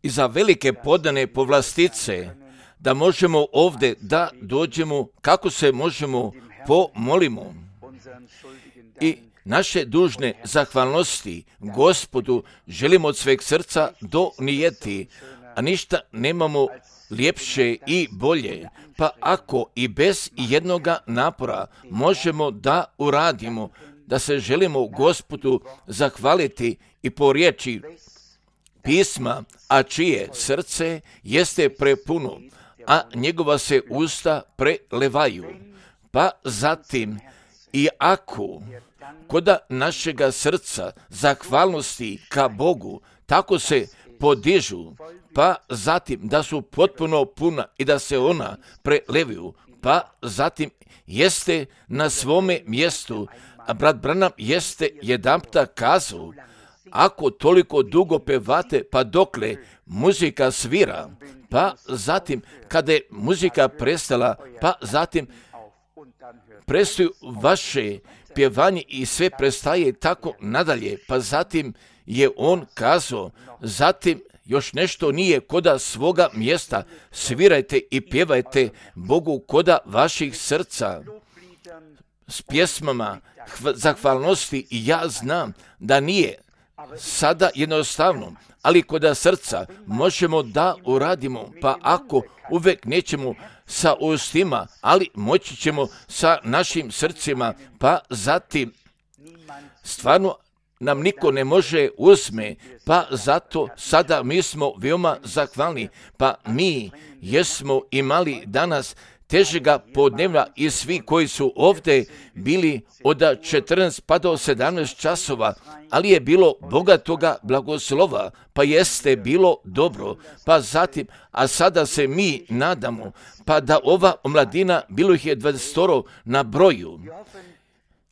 i za velike podane povlastice, da možemo ovdje da dođemo, kako se možemo pomolimo i naše dužne zahvalnosti Gospodu želimo od sveg srca donijeti, a ništa nemamo ljepše i bolje, pa ako i bez jednoga napora možemo da uradimo, da se želimo Gospodu zahvaliti i po riječi pisma, a čije srce jeste prepuno, a njegova se usta prelevaju. Pa zatim, i ako koda našega srca zahvalnosti ka Bogu tako se podižu, pa zatim da su potpuno puna i da se ona prelevaju, pa zatim jeste na svome mjestu, a brat Branham jeste jedanputa kazao, ako toliko dugo pevate, pa dokle muzika svira, pa zatim kada je muzika prestala, pa zatim prestaju vaše pjevanje i sve prestaje tako nadalje, pa zatim je on kazao, zatim još nešto nije koda svoga mjesta, svirajte i pjevajte Bogu koda vaših srca s pjesmama zahvalnosti. I ja znam da nije sada jednostavno, ali koda srca možemo da uradimo, pa ako uvek nećemo sa ustima, ali moći ćemo sa našim srcima, pa zatim stvarno nam niko ne može uzme, pa zato sada mi smo veoma zahvalni, pa mi jesmo imali danas težega podnevna i svi koji su ovdje bili od 14 pa do 17 časova, ali je bilo bogatoga blagoslova, pa jeste bilo dobro, pa zatim, a sada se mi nadamo, pa da ova omladina, bilo ih je 20 na broju,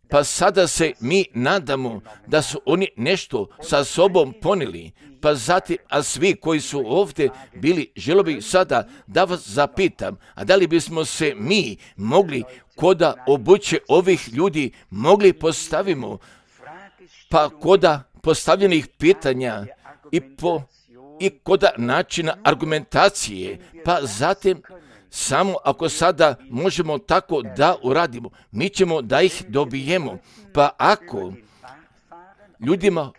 pa sada se mi nadamo da su oni nešto sa sobom ponijeli, pa zatim, a svi koji su ovdje bili, želio bih sada da vas zapitam, a da li bismo se mi mogli koda obuće ovih ljudi mogli postavimo, pa koda postavljenih pitanja i koda načina argumentacije, pa zatim samo ako sada možemo tako da uradimo, mi ćemo da ih dobijemo. Pa ako ljudima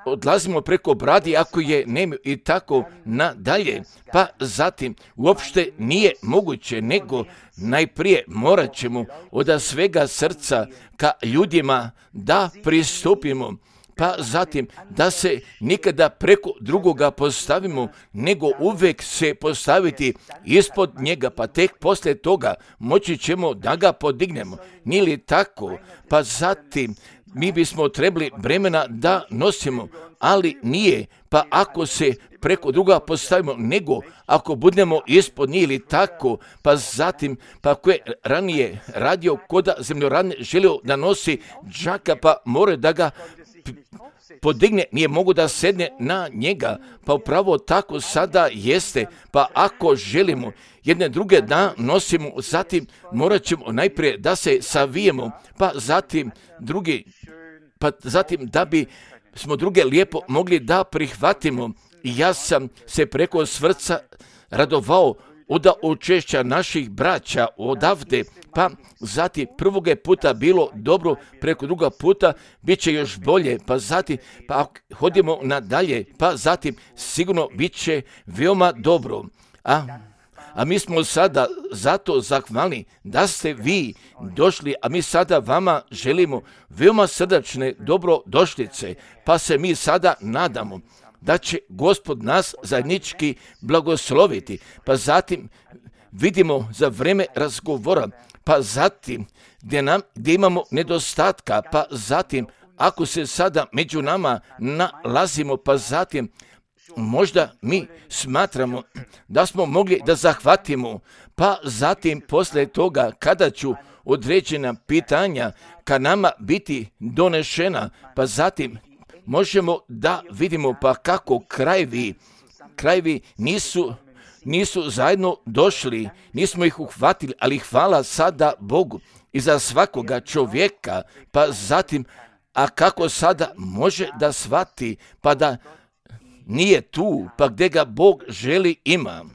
odlazimo preko bradi, ako je nemaju i tako nadalje, pa zatim uopšte nije moguće, nego najprije morat ćemo od svega srca ka ljudima da pristupimo, pa zatim da se nikada preko drugoga postavimo, nego uvek se postaviti ispod njega, pa tek poslije toga moći ćemo da ga podignemo. Nije li tako? Pa zatim mi bismo trebali bremena da nosimo, ali nije, pa ako se preko druga postavimo, nego ako budemo ispod njih ili tako, pa zatim, pa ako je ranije radio koda zemljoradne želio da nosi džaka, pa mora da ga podigne, nije mogu da sedne na njega, pa upravo tako sada jeste, pa ako želimo jedne druge da nosimo, zatim morat ćemo najprije da se savijemo, pa zatim da bi smo druge lijepo mogli da prihvatimo. Ja sam se preko srca radovao od učešća naših braća odavde, pa zatim prvog je puta bilo dobro, preko druga puta bit će još bolje, pa zatim, pa hodimo nadalje, pa zatim sigurno bit će veoma dobro. A mi smo sada zato zahvalni da ste vi došli, a mi sada vama želimo veoma srdačne dobrodošlice, pa se mi sada nadamo da će Gospod nas zajednički blagosloviti, pa zatim vidimo za vreme razgovora, pa zatim gdje imamo nedostatka, pa zatim ako se sada među nama nalazimo, pa zatim možda mi smatramo da smo mogli da zahvatimo, pa zatim poslije toga kada ću određena pitanja ka nama biti donešena, pa zatim možemo da vidimo pa kako krajevi nisu zajedno došli, nismo ih uhvatili, ali hvala sada Bogu i za svakoga čovjeka, pa zatim, a kako sada može da shvati, pa da nije tu, pa gdje ga Bog želi ima.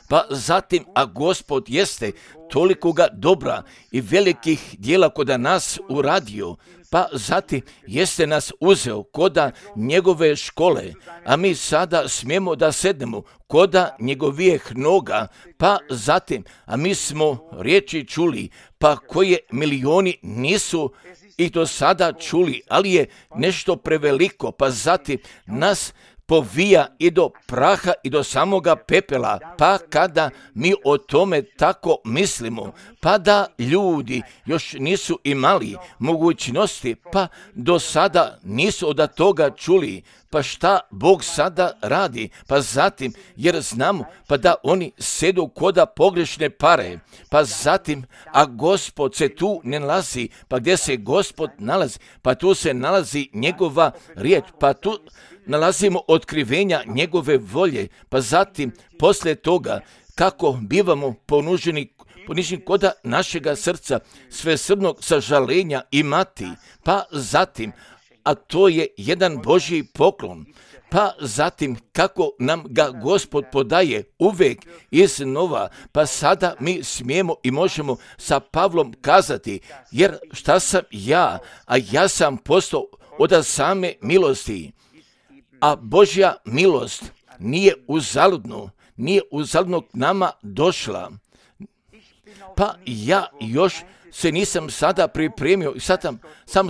Pa zatim, a Gospod jeste tolikoga dobra i velikih djela koda nas uradio, pa zatim jeste nas uzeo koda njegove škole, a mi sada smijemo da sednemo koda njegovijeh noga, pa zatim, a mi smo riječi čuli, pa koje milioni nisu i do sada čuli, ali je nešto preveliko, pa zatim nas povija i do praha i do samoga pepela, pa kada mi o tome tako mislimo, pa da ljudi još nisu imali mogućnosti, pa do sada nisu od toga čuli, pa šta Bog sada radi, pa zatim, jer znamo, pa da oni sedu koda pogrešne pare, pa zatim, a Gospod se tu ne nalazi, pa gdje se Gospod nalazi, pa tu se nalazi njegova riječ, pa tu nalazimo otkrivenja njegove volje, pa zatim, poslije toga, kako bivamo poniženi koda našega srca, svesrdnog sažalenja imati, pa zatim, a to je jedan Božji poklon, pa zatim kako nam ga Gospod podaje uvijek iznova, pa sada mi smijemo i možemo sa Pavlom kazati, jer šta sam ja, a ja sam postao od same milosti, a Božja milost nije uzaludno k nama došla. Pa ja još se nisam sada pripremio i sad sam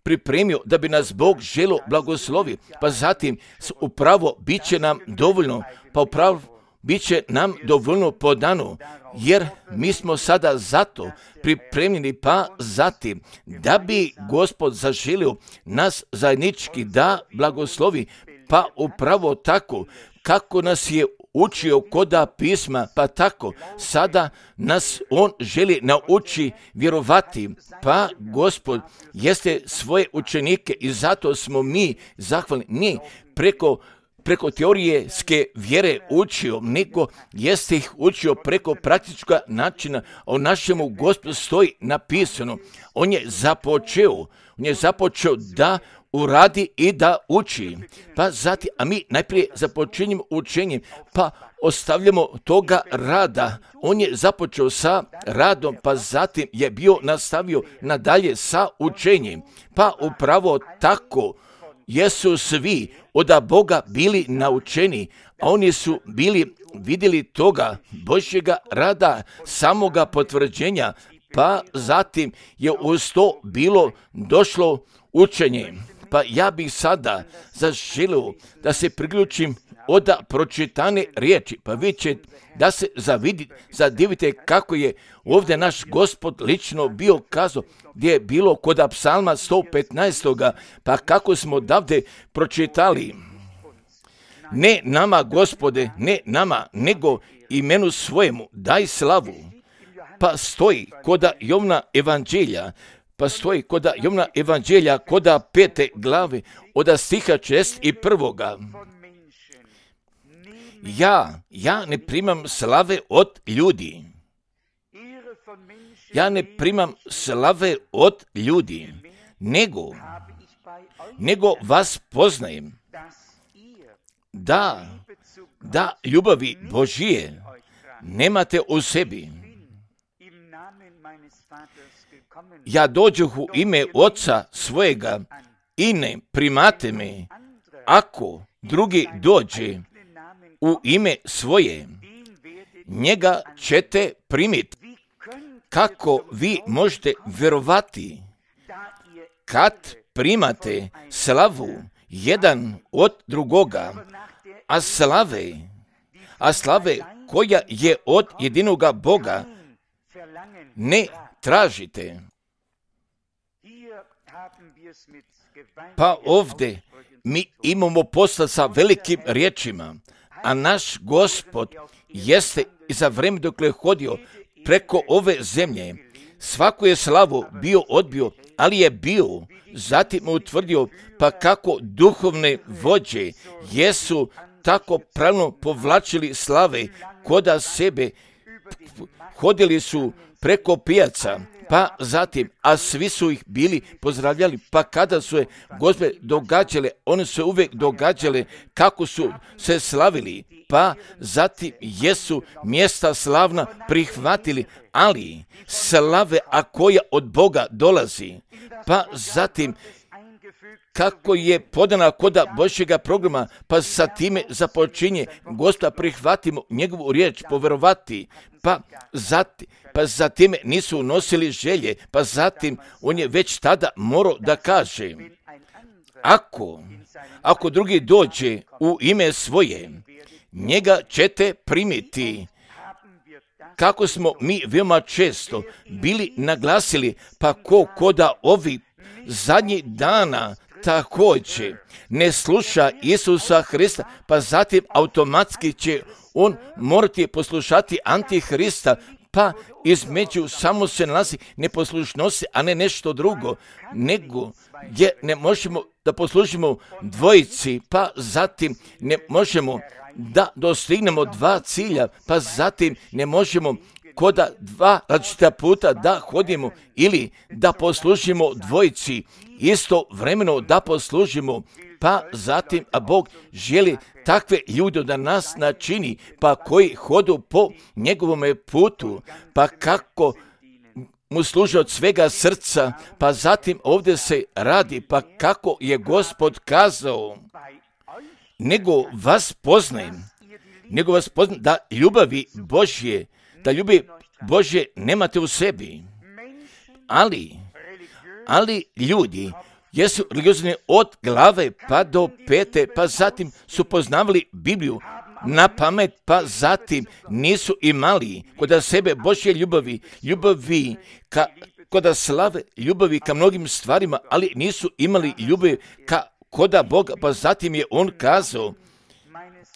pripremio da bi nas Bog želo blagoslovi, pa zatim upravo bit će nam dovoljno, pa upravo bit će nam dovoljno podano, jer mi smo sada zato pripremljeni, pa zatim da bi Gospod zaželio nas zajednički da blagoslovi, pa upravo tako kako nas je učio koda pisma, pa tako sada nas on želi nauči vjerovati, pa Gospod jeste svoje učenike i zato smo mi zahvalni, nije preko teorijske vjere učio, nego jeste ih učio preko praktička načina. O našemu Gospodu stoji napisano, on je započeo da uradi i da uči. Pa zatim, a mi najprije započinjemo učenjem, pa ostavljamo toga rada. On je započeo sa radom, pa zatim je bio nastavio nadalje sa učenjem. Pa upravo tako jesu svi od Boga bili naučeni, a oni su bili vidjeli toga Božjega rada, samoga potvrđenja, pa zatim je uz to bilo došlo učenje. Pa ja bih sada zaželio da se priključim od pročitane riječi, pa vi ćete da se zadivite kako je ovdje naš Gospod lično bio kazao, gdje je bilo kod psalma 115. Pa kako smo davde pročitali, ne nama Gospode, ne nama, nego imenu svojemu daj slavu. Pa stoji kod Jovna evanđelja, koda 5. glave, od stiha 61. Ja ne primam slave od ljudi. Nego vas poznajem, da ljubavi Božije nemate u sebi. Ja dođoh u ime Oca svojega i ne primate me, ako drugi dođe u ime svoje, njega ćete primiti. Kako vi možete vjerovati kad primate slavu jedan od drugoga, a slave koja je od jedinoga Boga ne tražite? Pa ovdje mi imamo posla sa velikim riječima, a naš Gospod jeste i za vrijeme dok je hodio preko ove zemlje, svaku je slavu bio odbio, ali je bio, zatim utvrdio, pa kako duhovne vođe jesu tako pravilno povlačili slave koda sebe, hodili su preko pijaca, pa zatim, a svi su ih bili pozdravljali, pa kada su je gospe događale, one su uvijek događale kako su se slavili, pa zatim jesu mjesta slavna prihvatili, ali slave, a koja od Boga dolazi, pa zatim kako je podana koda Božjega programa, pa sa time započinje Gospoda prihvatimo njegovu riječ, poverovati, pa zatim nisu nosili želje, pa zatim on je već tada morao da kaže, ako drugi dođe u ime svoje, njega ćete primiti. Kako smo mi veoma često bili naglasili, pa koda ovi zadnjih dana također ne sluša Isusa Hrista, pa zatim automatski će on morati poslušati Antihrista, pa između samo se nalazi neposlušnosti, a ne nešto drugo, nego gdje ne možemo da poslužimo dvojici, pa zatim ne možemo da dostignemo dva cilja, pa zatim ne možemo koda dva različita puta da hodimo ili da poslužimo dvojici, istovremeno da poslužimo, pa zatim, a Bog želi takve ljude da nas načini, pa koji hodu po njegovome putu, pa kako mu služe od svega srca, pa zatim ovdje se radi, pa kako je Gospod kazao, nego vas poznajem da ljubavi Božje nemate u sebi, ali ljudi jesu religiozni od glave pa do pete, pa zatim su poznavali Bibliju na pamet, pa zatim nisu imali kod sebe Božje ljubavi kod slave, ljubavi ka mnogim stvarima, ali nisu imali ljubavi koda Boga, pa zatim je on kazao,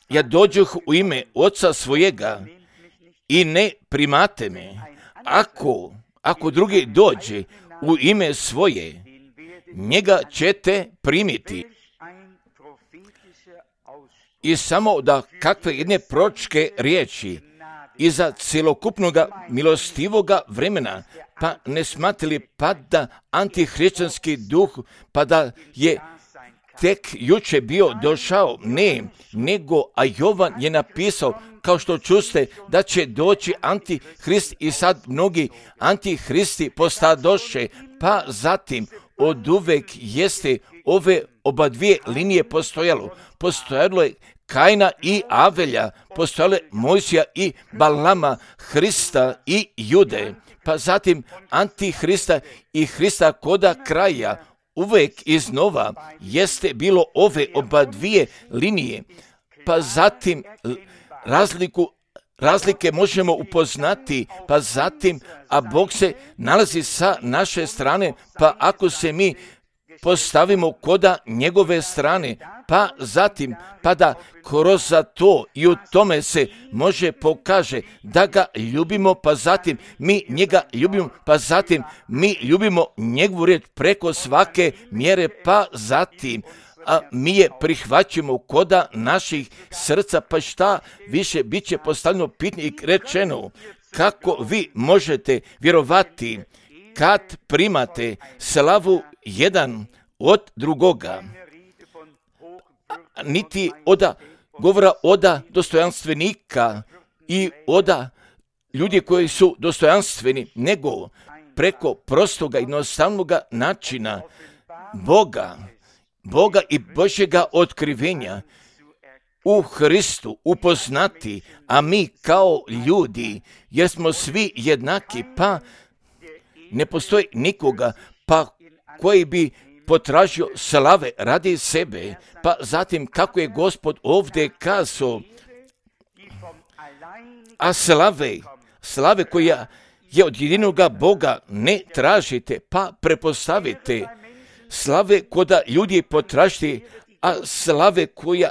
ja dođoh u ime Oca svojega i ne primate me. Ako drugi dođe u ime svoje, njega ćete primiti. I samo da kakve jedne proročke riječi iza cjelokupnog milostivoga vremena, pa ne smatrali pa da antihrišćanski duh, pa da je tek juče bio došao, ne, nego, a Jovan je napisao, kao što čuste, da će doći antihrist i sad mnogi antihristi postadoše, pa zatim od uvek jeste ove oba dvije linije postojalo je Kaina i Avelja, postojalo je Mojsija i Balama, Hrista i Jude, pa zatim antihrista i Hrista koda kraja. Uvek iznova jeste bilo ove oba dvije linije, pa zatim razlike možemo upoznati, pa zatim, a Bog se nalazi sa naše strane, pa ako se mi postavimo koda njegove strane, pa zatim, pa da kroz to i u tome se može pokaže da ga ljubimo, pa zatim mi njega ljubimo, pa zatim mi ljubimo njegovu riječ preko svake mjere, pa zatim a mi je prihvaćamo koda naših srca, pa šta više bit će postavljeno pitanje i rečeno, kako vi možete vjerovati kad primate slavu jedan od drugoga, niti govora oda dostojanstvenika i oda ljudi koji su dostojanstveni, nego preko prostoga i jednostavnog načina Boga i Božjega otkrivenja u Hristu upoznati, a mi kao ljudi, jer smo svi jednaki, pa ne postoji nikoga, pa koji bi potražio slave radi sebe, pa zatim kako je Gospod ovdje kazao, a slave koja je od jedinoga Boga ne tražite, pa prepostavite, slave koda ljudi potražite, a slave koja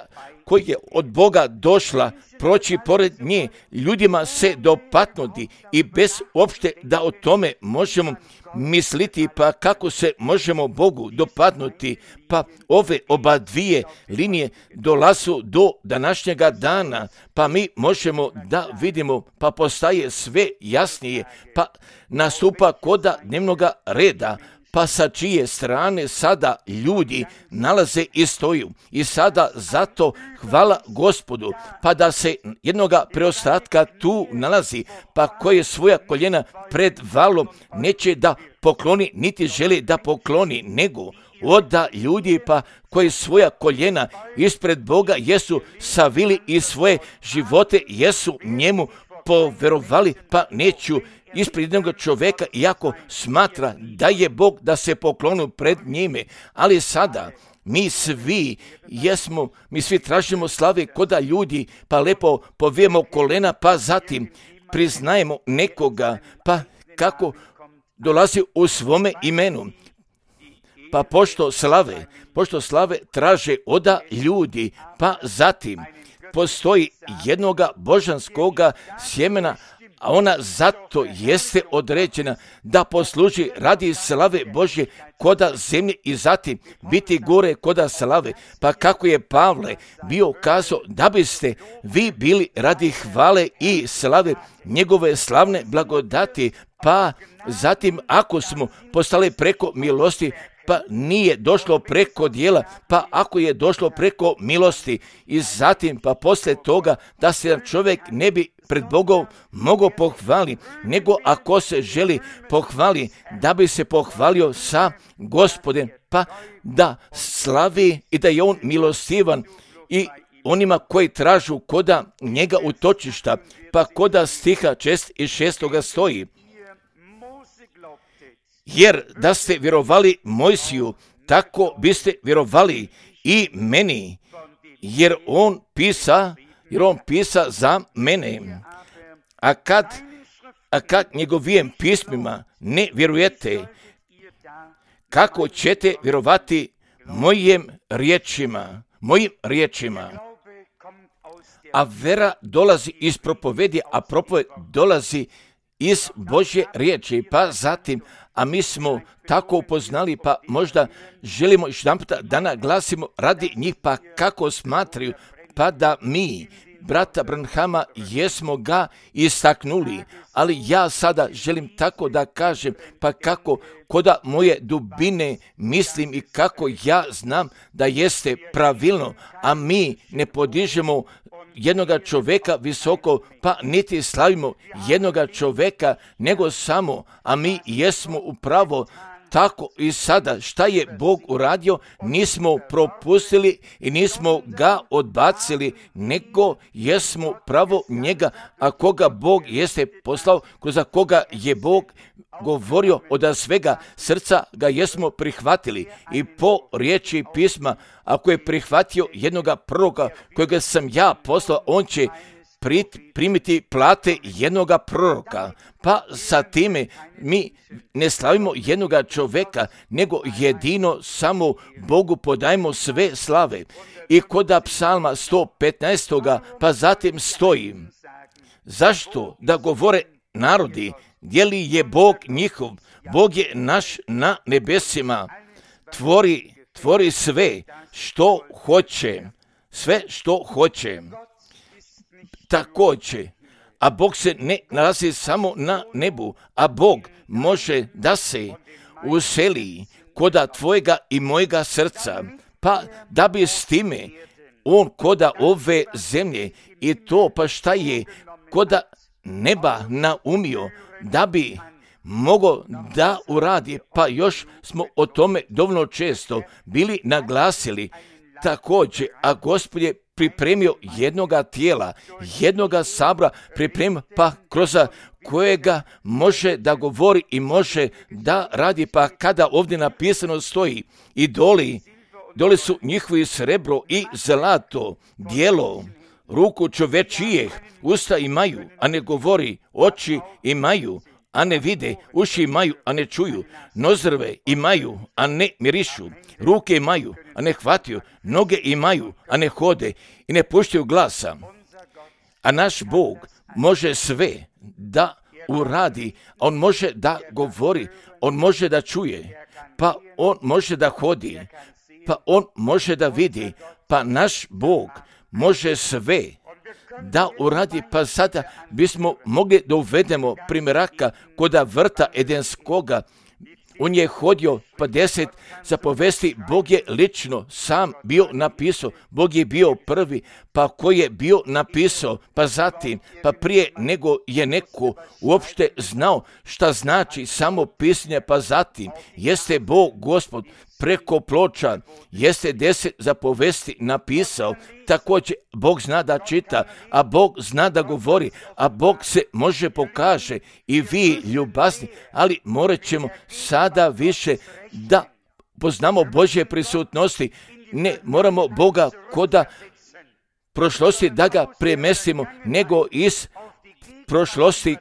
je od Boga došla, proći pored nje, ljudima se dopadnuti i bez uopšte da o tome možemo misliti, pa kako se možemo Bogu dopadnuti, pa ove oba dvije linije dolazu do današnjega dana, pa mi možemo da vidimo, pa postaje sve jasnije, pa nastupa koda dnevnoga reda, pa sa čije strane sada ljudi nalaze i stoju. I sada zato hvala Gospodu, pa da se jednoga preostatka tu nalazi, pa koje svoja koljena pred valom neće da pokloni, niti želi da pokloni, nego oda ljudi pa koji svoja koljena ispred Boga jesu savili i svoje živote jesu njemu poverovali, pa neću ispred jednog čoveka, iako smatra da je Bog, da se poklonu pred njime. Ali sada mi svi tražimo slave koda ljudi, pa lepo povijemo kolena, pa zatim priznajemo nekoga, pa kako dolazi u svome imenu. Pa pošto slave traže oda ljudi, pa zatim postoji jednoga božanskoga sjemena, a ona zato jeste određena da posluži radi slave Božje koda zemlje i zatim biti gore koda slave. Pa kako je Pavle bio kazao da biste vi bili radi hvale i slave njegove slavne blagodati, pa zatim ako smo postali preko milosti, pa nije došlo preko djela, pa ako je došlo preko milosti i zatim pa poslije toga da se čovjek ne bi pred Bogom mogao pohvali, nego ako se želi pohvali, da bi se pohvalio sa Gospodem, pa da slavi i da je on milostivan i onima koji tražu koda njega utočišta, pa koda stiha 6 stoji. Jer da ste vjerovali Mojsiju, tako biste vjerovali i meni, jer on pisa za mene. A kad njegovim pismima ne vjerujete, kako ćete vjerovati mojim riječima? A vera dolazi iz propovedi, a propoved dolazi iz Božje riječi, pa zatim, a mi smo tako upoznali, pa možda želimo još jedanput da naglasimo radi njih, pa kako smatraju, pa da mi, brata Branhama, jesmo ga istaknuli, ali ja sada želim tako da kažem, pa kako koda moje dubine mislim i kako ja znam da jeste pravilno, a mi ne podižemo jednoga čoveka visoko, pa niti slavimo jednoga čoveka, nego samo, a mi jesmo upravo tako i sada šta je Bog uradio, nismo propustili i nismo ga odbacili, nego jesmo pravo njega, a koga Bog jeste poslao, za koga je Bog govorio od svega srca ga jesmo prihvatili i po riječi pisma, ako je prihvatio jednoga proroka kojega sam ja poslao, on će primiti plate jednoga proroka. Pa sa time mi ne slavimo jednoga čoveka, nego jedino samo Bogu podajemo sve slave. I koda psalma 115. pa zatim stoji, zašto da govore narodi, gdje li je Bog njihov? Bog je naš na nebesima, tvori sve što hoće. Također, a Bog se ne nalazi samo na nebu, a Bog može da se useli koda tvojega i mojega srca, pa da bi s time on koda ove zemlje i to pa šta je koda neba naumio, da bi mogao da uradi, pa još smo o tome dovoljno često bili naglasili. Također, a Gospod je pripremio jednoga tijela, jednoga sabora, pripremio pa kroz kojega može da govori i može da radi, pa kada ovdje napisano stoji i doli su njihovi srebro i zlato, djelo, ruku čovečijeh, usta imaju, a ne govori, oči imaju, a ne vide, uši imaju, a ne čuju, nozrve imaju, a ne mirišu, ruke imaju, a ne hvataju, noge imaju, a ne hode i ne puštaju glasa. A naš Bog može sve da uradi, on može da govori, on može da čuje, pa on može da hodi, pa on može da vidi, pa naš Bog može sve da uradi, pa sada bismo mogli da uvedemo primjeraka koda vrta Edenskoga. On je hodio, pa 10 zapovesti, Bog je lično sam bio napisao, Bog je bio prvi, pa ko je bio napisao, pa zatim, pa prije nego je neko uopšte znao šta znači samo pisanje, pa zatim jeste Bog Gospod preko ploča, jeste 10 zapovesti napisao. Također Bog zna da čita, a Bog zna da govori, a Bog se može pokaže i vi ljubazni, ali morat ćemo sada više da poznamo Božje prisutnosti. Ne moramo Boga koda prošlosti da ga premestimo, nego iz prošlosti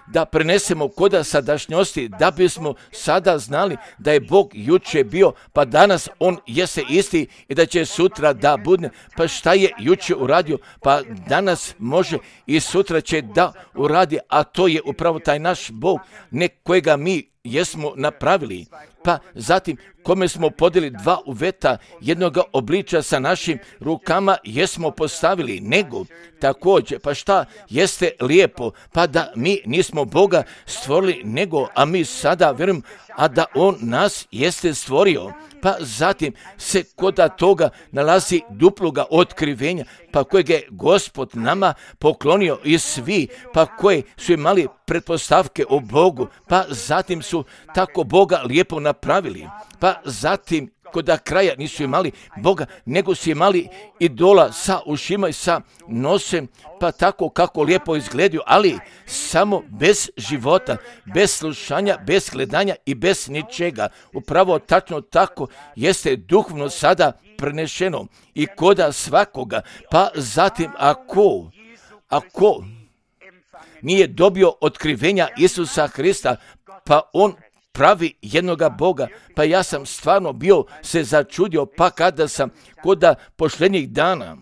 da prenesemo koda sadašnjosti, da bismo sada znali da je Bog juče bio, pa danas on jeste isti i da će sutra da bude. Pa šta je juče uradio, pa danas može i sutra će da uradi, a to je upravo taj naš Bog, ne kojega mi jesmo napravili. Pa zatim kome smo podeli 2 uveta jednoga obliča sa našim rukama jesmo postavili, nego također, pa šta jeste lijepo, pa da mi nismo Boga stvorili, nego, a mi sada vjerujem, a da on nas jeste stvorio. Pa zatim se koda toga nalazi duploga otkrivenja, pa kojeg je Gospod nama poklonio i svi, pa koji su imali pretpostavke o Bogu, pa zatim su tako Boga lijepo napravili, pa zatim koda kraja nisu imali Boga, nego su imali idola sa ušima i sa nosem, pa tako kako lijepo izgledaju, ali samo bez života, bez slušanja, bez gledanja i bez ničega. Upravo tačno tako jeste duhovno sada prenešeno i koda svakoga. Pa zatim ako nije dobio otkrivenja Isusa Hrista, pa on pravi jednoga Boga, pa ja sam stvarno bio se začudio, pa kada sam koda posljednjih dana,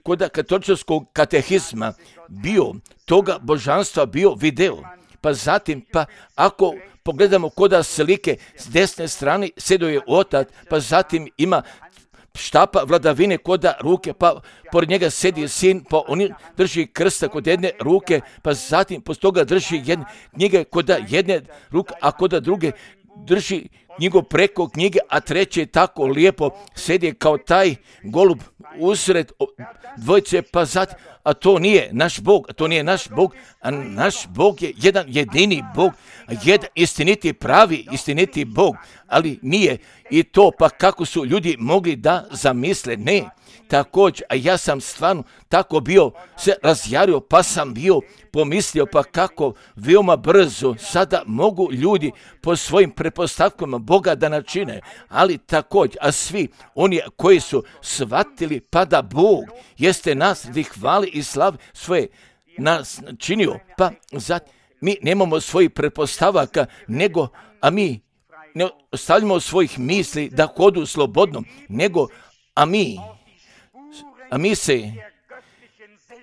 koda katoličkog katehizma bio, toga božanstva bio video, pa zatim, pa ako pogledamo koda slike s desne strane sjedio je otac, pa zatim ima štapa vladavine koda ruke, pa pored njega sjedi sin, pa on drži krsta kod jedne ruke, pa zatim poslije toga drži jedne knjige koda jedne ruke, a koda druge drži knjigu preko knjige, a treće tako lijepo sjedi kao taj golub usred dvojice, pa zatim, a to nije naš Bog, a naš Bog je jedan jedini Bog, jedan istiniti, pravi istiniti Bog, ali nije i to, pa kako su ljudi mogli da zamisle, ne. Također, a ja sam stvarno tako bio se razjario, pa sam bio pomislio, pa kako veoma brzo sada mogu ljudi po svojim pretpostavkama Boga da načine, ali također, a svi oni koji su shvatili pa da Bog jeste nas radi hvali i slavi svoje nas činio, pa zato mi nemamo svojih pretpostavaka, nego, a mi ne ostavljamo svojih misli da hodu slobodno, nego,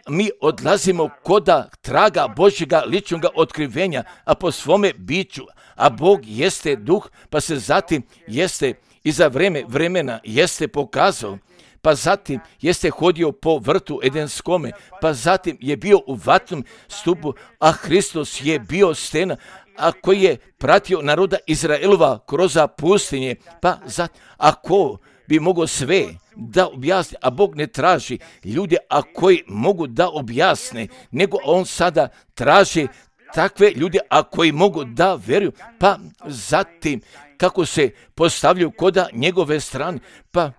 mi odlazimo koda traga Božjega ličnog otkrivenja, a po svome biću, a Bog jeste duh, pa se zatim jeste i za vremena jeste pokazao, pa zatim jeste hodio po vrtu Edenskome, pa zatim je bio u vatnom stupu, a Hristos je bio stena, a koji je pratio naroda Izraelova kroz pustinje, pa zatim, ako bi mogao sve da objasni, a Bog ne traži ljude, a koji mogu da objasne, nego on sada traži takve ljude, a koji mogu da vjeruju, pa zatim kako se postavljaju koda njegove strane, pa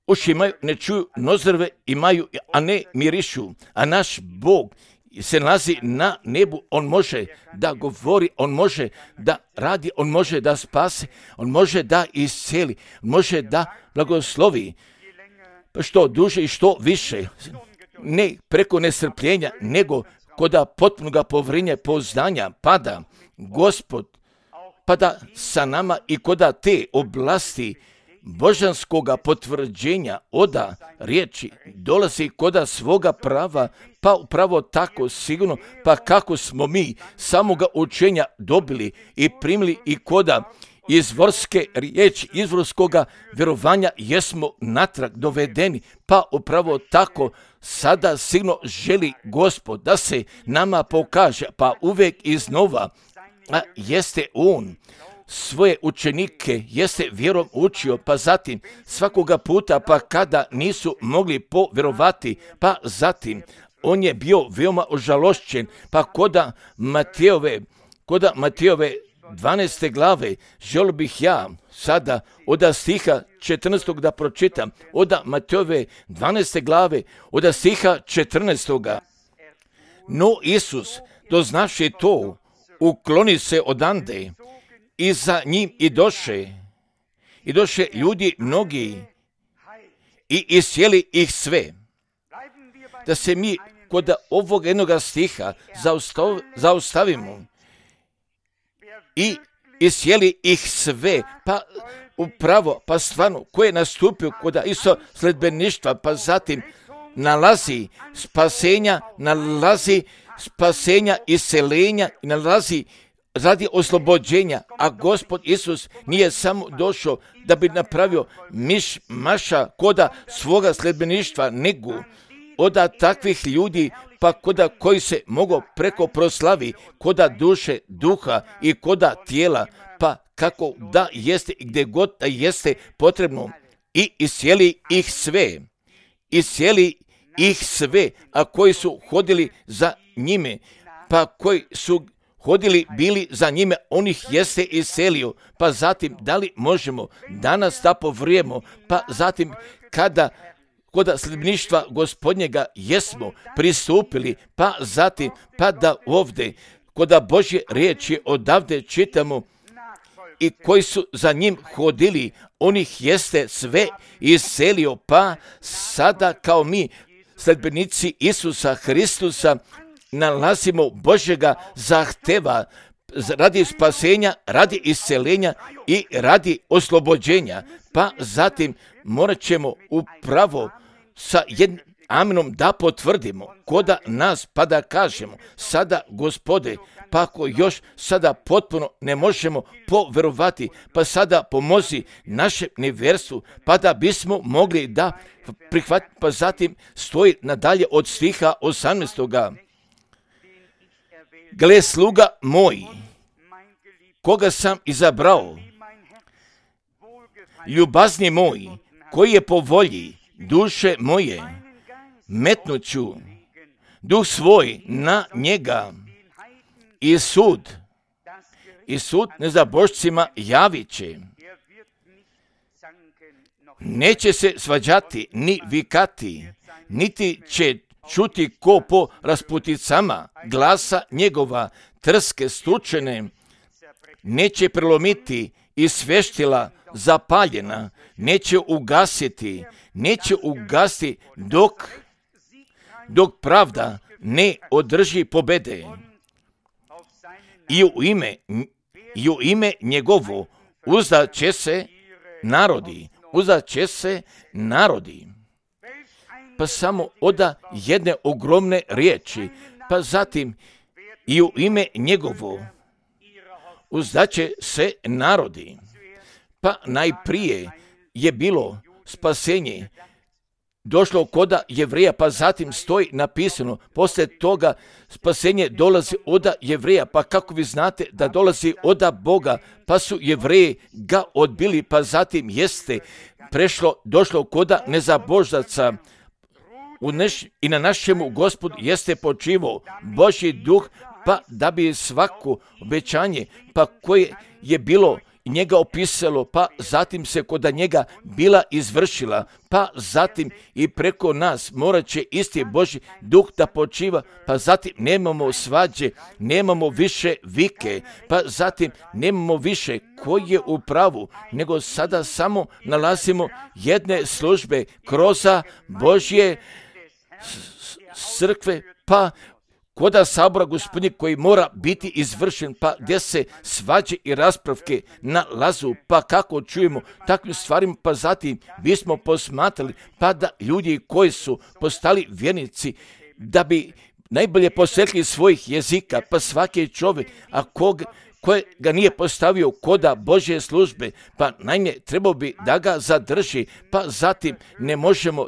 uši imaju, ne čuju, nozrve imaju, a ne mirišu, a naš Bog se nalazi na nebu, on može da govori, on može da radi, on može da spase, on može da isceli, može da blagoslovi, što duže i što više, ne preko nestrpljenja, nego koda potpunoga povjerenja poznanja pada Gospod, pada sa nama i koda te oblasti božanskoga potvrđenja oda riječi dolazi koda svoga prava, pa upravo tako sigurno, pa kako smo mi samoga učenja dobili i primili i koda izvorske riječi, izvorskoga vjerovanja jesmo natrag dovedeni, pa upravo tako sada sigurno želi Gospod da se nama pokaže, pa uvijek iznova, a jeste On svoje učenike jeste vjerom učio, pa zatim svakoga puta, pa kada nisu mogli povjerovati, pa zatim on je bio veoma ožalošćen, pa koda Matejove 12. glave, želio bih ja sada od stiha 14. da pročitam, od Matejove 12. glave, od stiha 14. No Isus, doznaši to, ukloni se odande i za njim i doše ljudi mnogi i iscijeli ih sve. Da se mi kod ovog jednog stiha zaustavimo i iscijeli ih sve, pa upravo, pa stvarno, ko je nastupio kod isto sledbeništva, pa zatim nalazi spasenja, iseljenja, nalazi radi oslobođenja, a Gospod Isus nije samo došao da bi napravio maša koda svoga sledbeništva, nego od takvih ljudi, pa koda koji se mogu preko proslavi, koda duše, duha i koda tijela, pa kako da jeste i gdje god da jeste potrebno, i iscijeli ih sve, a koji su hodili za njime, pa koji su hodili bili za njime, on ih jeste iselio. Pa zatim, da li možemo danas da povrijemo, pa zatim kada kod sledbeništva Gospodnjega jesmo pristupili, pa zatim, pa da ovdje kod Božje riječi odavde čitamo i koji su za njim hodili, on ih jeste sve iselio, pa sada kao mi sledbenici Isusa Hristusa nalazimo Božjega zahteva radi spasenja, radi isceljenja i radi oslobođenja. Pa zatim morat ćemo upravo sa jednim amenom da potvrdimo koda nas, pa da kažemo sada Gospode, pa ako još sada potpuno ne možemo povjerovati, pa sada pomozi našem nevjerstvu, pa da bismo mogli da prihvatiti, pa zatim stoji nadalje od stiha 18. Gle, sluga moj, koga sam izabrao, ljubazni moj, koji je po volji duše moje, metnuću duh svoj na njega i sud nezabožcima javit će. Neće se svađati ni vikati, niti će čuti ko po rasputicama glasa njegova, trske stučene, neće prelomiti i sveštila zapaljena, neće ugasiti dok pravda ne održi pobede. I u ime njegovo uzdat će se narodi. Pa samo oda jedne ogromne riječi, pa zatim i u ime njegovo uzdat će se narodi. Pa najprije je bilo spasenje, došlo koda Jevreja, pa zatim stoji napisano, poslije toga spasenje dolazi od Jevreja, pa kako vi znate da dolazi od Boga, pa su Jevreji ga odbili, pa zatim jeste došlo koda nezaboždaca, i na našemu Gospodu jeste počivao Božji duh, pa da bi svako obećanje, pa koje je bilo njega opisalo, pa zatim se kod njega bila izvršila, pa zatim i preko nas morat će isti Božji duh da počiva, pa zatim nemamo svađe, nemamo više vike, pa zatim nemamo više koji je u pravu, nego sada samo nalazimo jedne službe kroz Božje crkve, pa koda sabora Gospodnjeg koji mora biti izvršen, pa gdje se svađe i raspravke nalazu, pa kako čujemo takvim stvarima, pa zatim bismo posmatrali, pa da ljudi koji su postali vjernici, da bi najbolje posvetili svojih jezika, pa svaki čovjek, a koje ga nije postavio koda Božje službe, pa naime trebao bi da ga zadrži, pa zatim ne možemo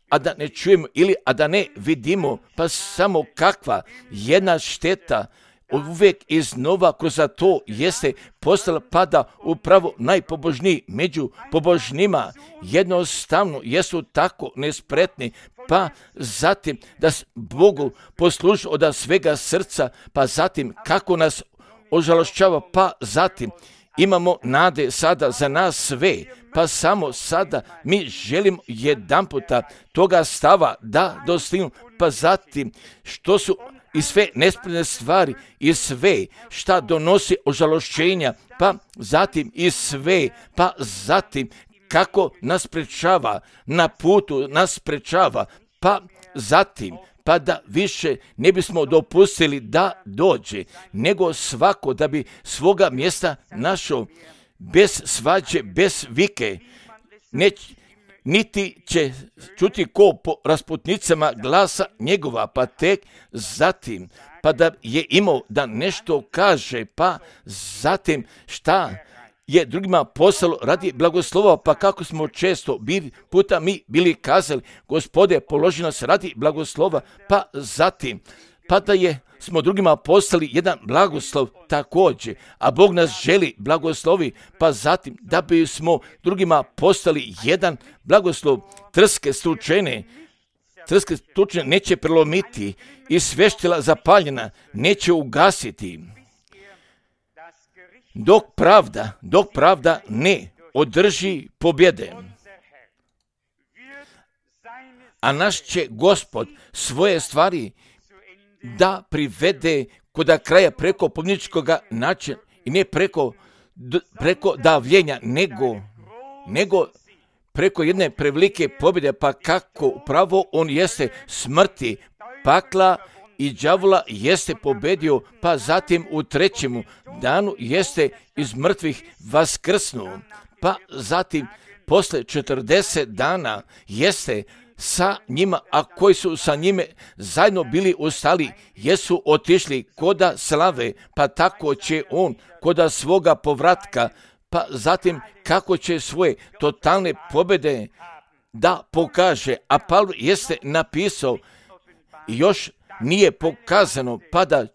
a da ne čujemo ili a da ne vidimo, pa samo kakva jedna šteta uvijek iznova kroz to jeste postala, pa da upravo najpobožniji među pobožnima jednostavno jesu tako nespretni, pa zatim da Bogu poslužu od svega srca, pa zatim kako nas ožalošćava, pa zatim imamo nade sada za nas sve, pa samo sada mi želimo jedanputa toga stava da dostignemo, pa zatim što su i sve nespretne stvari i sve šta donosi ožalošćenja, pa zatim i sve, pa zatim kako nas sprečava, na putu nas sprečava, pa zatim pa da više ne bismo dopustili da dođe, nego svako da bi svoga mjesta našao, bez svađe, bez vike, niti će čuti ko po rasputnicama glasa njegova, pa tek zatim, pa da je imao da nešto kaže, pa zatim šta je drugima poslalo radi blagoslova, pa kako smo često puta mi bili kazali, Gospode, položi nas radi blagoslova, pa zatim, pa da smo drugima poslali jedan blagoslov također, a Bog nas želi blagoslovi, pa zatim da bismo drugima postali jedan blagoslov. Trske stučene neće prelomiti i sveštila zapaljena neće ugasiti. Dok pravda ne održi pobjede. A naš će Gospod svoje stvari da privede koda kraja preko pobjedničkog načina i ne preko davljenja, nego preko jedne prevelike pobjede, pa kako upravo on jeste smrti, pakla i đavola jeste pobedio, pa zatim u trećemu danu jeste iz mrtvih vaskrsnuo, pa zatim posle 40 dana jeste sa njima, a koji su sa njime zajedno bili ustali, jesu otišli koda slave, pa tako će on koda svoga povratka, pa zatim kako će svoje totalne pobjede da pokaže, a Pavlo jeste napisao još nije pokazano, pa da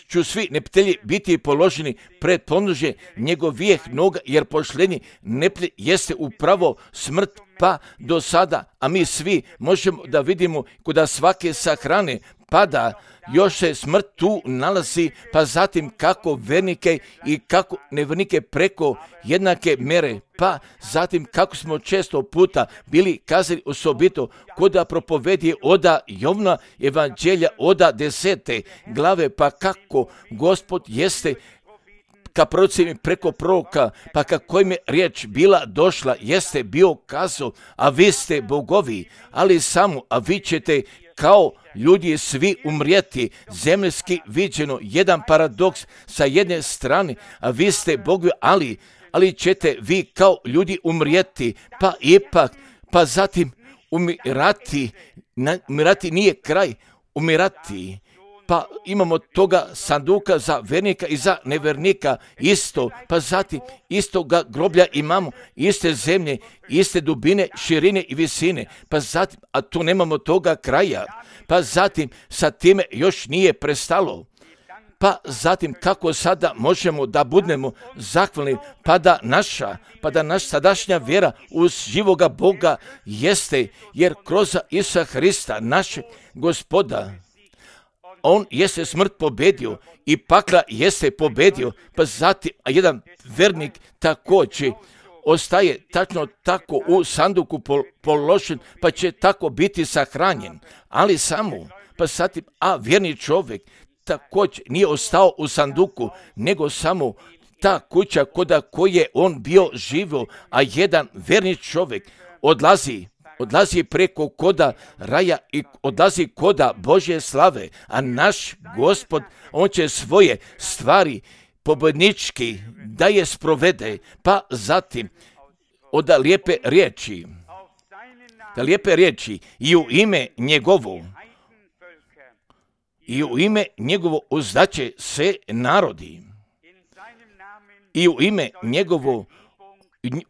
ću svi neprijatelji biti položeni pred podnožje njegovih noga, jer pošlednji neprijatelj jeste upravo smrt, pa do sada, a mi svi možemo da vidimo kuda svake sahrane, pa da još se smrt tu nalazi, pa zatim kako vernike i kako nevernike preko jednake mere, pa zatim kako smo često puta bili kazali osobito koda propovedi oda Jovna evanđelja oda 10. glave, pa kako Gospod jeste ka prorocima preko proroka, pa kako im je riječ bila došla, jeste bio kazao, a vi ste bogovi, ali samo, a vi ćete kao ljudi svi umrijeti, zemljski viđeno, jedan paradoks sa jedne strane, a vi ste bogovi, ali ćete vi kao ljudi umrijeti, pa ipak, pa zatim umirati nije kraj, umirati. Pa imamo toga sanduka za vernika i za nevernika isto, pa zatim istoga groblja imamo, iste zemlje, iste dubine, širine i visine, pa zatim, a tu nemamo toga kraja, pa zatim sa time još nije prestalo. Pa zatim kako sada možemo da budemo zahvalni, pa da naša sadašnja vjera uz živoga Boga jeste, jer kroz Isusa Hrista, našeg Gospoda, on jeste smrt pobedio i pakla jeste pobedio, pa zatim jedan vernik također ostaje tačno tako u sanduku položen, pa će tako biti sahranjen, ali samo, pa zatim, a vjerni čovjek također nije ostao u sanduku, nego samo ta kuća koda koje on bio živio, a jedan verni čovjek odlazi, odlazi preko koda raja i odlazi koda Božje slave, a naš Gospod, on će svoje stvari pobjednički da je sprovede, pa zatim od lijepe riječi i u ime njegovo uzdaće se narodi i u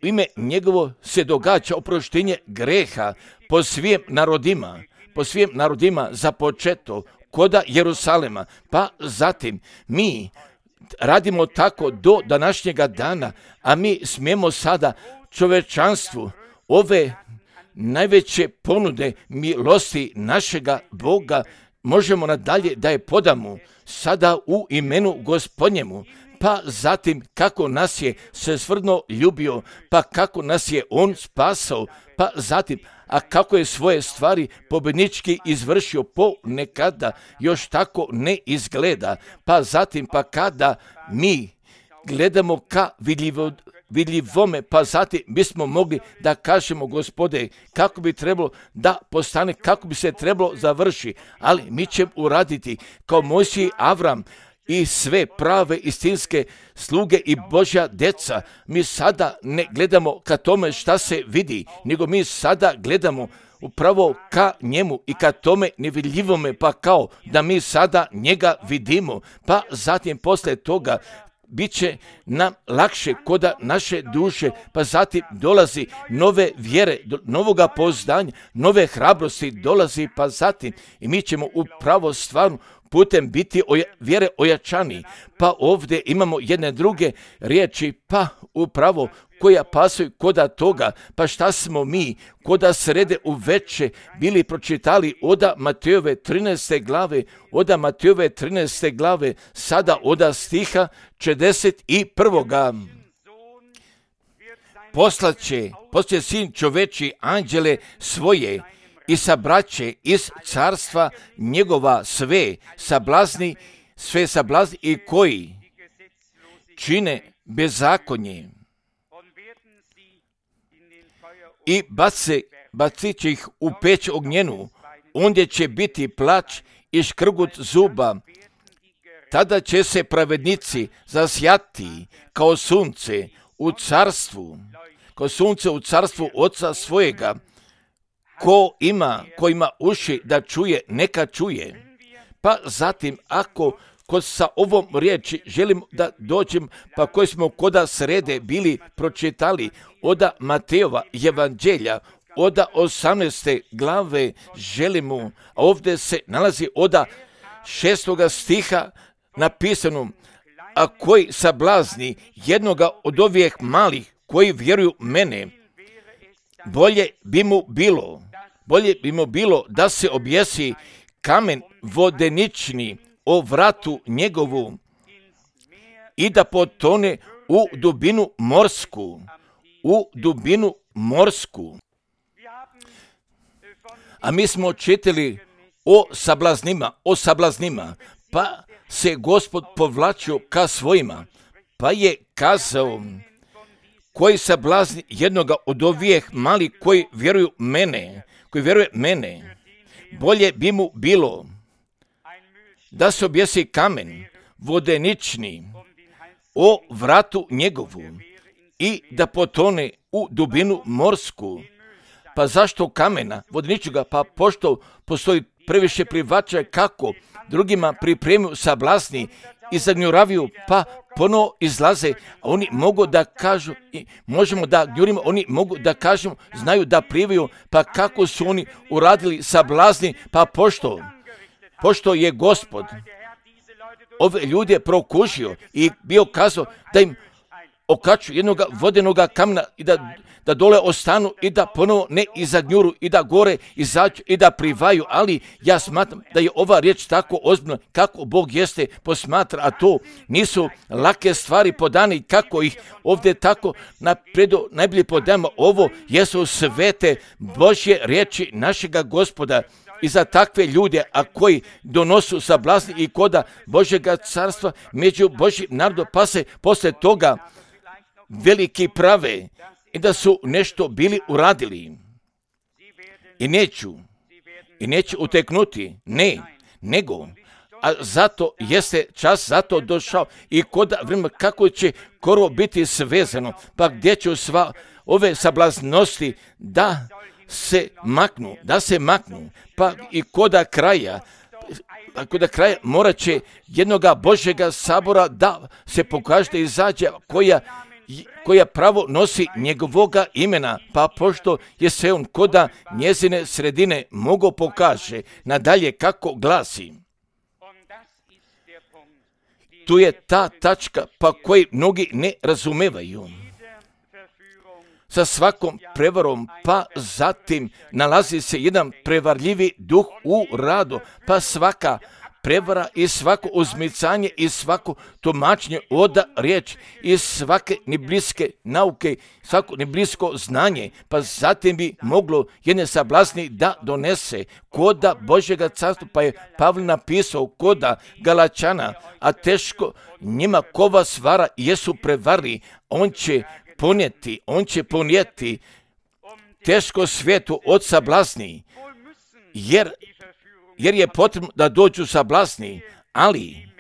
ime njegovo se događa oproštenje greha po svim narodima započeto koda Jerusalema, pa zatim mi radimo tako do današnjega dana, a mi smijemo sada čovečanstvu ove najveće ponude milosti našega Boga možemo nadalje da je podamo sada u imenu Gospodnjemu, pa zatim kako nas je svesrdno ljubio, pa kako nas je on spasao, pa zatim a kako je svoje stvari pobjednički izvršio ponekada još tako ne izgleda, pa zatim pa kada mi gledamo ka vidljivome, pa zatim bismo mogli da kažemo Gospode kako bi trebalo da postane, kako bi se trebalo završi, ali mi ćemo uraditi kao Mojsije i Avram i sve prave istinske sluge i Božja deca. Mi sada ne gledamo ka tome šta se vidi, nego mi sada gledamo upravo ka njemu i ka tome nevidljivome, pa kao da mi sada njega vidimo, pa zatim posle toga bit će nam lakše koda naše duše, pa zatim dolazi nove vjere, novoga poznanja, nove hrabrosti dolazi, pa zatim i mi ćemo upravo stvarno putem biti vjere ojačani. Pa ovdje imamo jedne druge riječi, pa upravo koja pasuju koda toga, pa šta smo mi koda srede u veče bili pročitali oda Matejove 13. glave, sada oda stiha 41. Poslaće sin čoveči anđele svoje i sabraće iz carstva njegova sve sablazni i koji čine bezakonje i bacit će ih u peć ognjenu, ondje će biti plač i škrgut zuba. Tada će se pravednici zasjati kao sunce u carstvu Oca svojega. Ko ima uši da čuje, neka čuje. Pa zatim, ako sa ovom riječi želim da dođem, pa koji smo koda srede bili pročitali oda Matejova evanđelja, oda 18. glave želimo, a ovdje se nalazi oda 6. stiha napisano, a koji sablazni jednoga od ovih malih koji vjeruju mene, bolje bi mu bilo da se objesi kamen vodenični o vratu njegovu i da potone u dubinu morsku. A mi smo čitali o sablaznima, pa se Gospod povlačio ka svojima, pa je kazao, koji sablazni jednoga od ovih mali koji vjeruje mene, bolje bi mu bilo da se objesi kamen vodenični o vratu njegovu i da potone u dubinu morsku. Pa zašto kamena vodeničnoga? Pa pošto postoji previše plivača kako drugima pripremaju sablazni i zagnjuravaju, pa ponovo izlaze, a oni mogu da kažu, možemo da gnjurimo, oni mogu da kažemo, znaju da plivaju, pa kako su oni uradili sablazni, pa pošto je Gospod ove ljude prokušio i bio kazao da im okaču jednog vodenoga kamena i da dole ostanu i da ponovo ne izagnjuru i da gore izađu i da plivaju, ali ja smatram da je ova riječ tako ozbiljna kako Bog jeste posmatra, a to nisu lake stvari podane, kako ih ovdje tako napredo najbolje podajamo. Ovo jesu svete Božje riječi našega Gospoda i za takve ljude, a koji donosu sablazni i koda Božjega carstva među Božjim narodom, pa se posle toga veliki prave i da su nešto bili uradili. i neću uteknuti, ne, nego, a zato jeste čas zato došao i koda vremena kako će skoro biti svezano, pa gdje će sva ove sablaznosti da se maknu, pa i koda kraja morat će jednoga Božjega sabora da se pokaže da izađe koja pravo nosi njegovoga imena, pa pošto je se on koda njezine sredine mogo pokaže, nadalje kako glasi. Tu je ta tačka pa koji mnogi ne razumevaju. Sa svakom prevarom, pa zatim nalazi se jedan prevarljivi duh u radu, pa svaka prevara i svako uzmicanje i svako tumačenje od riječi i svake nebliske nauke, svako neblisko znanje, pa zatim bi moglo jedne sablazni da donese koda Božjega carstva, pa je Pavle napisao koda Galačana, a teško njima ko vas vara jesu prevari, on će ponijeti teško svijetu od sablazni, jer je potrebno da dođu sablazni,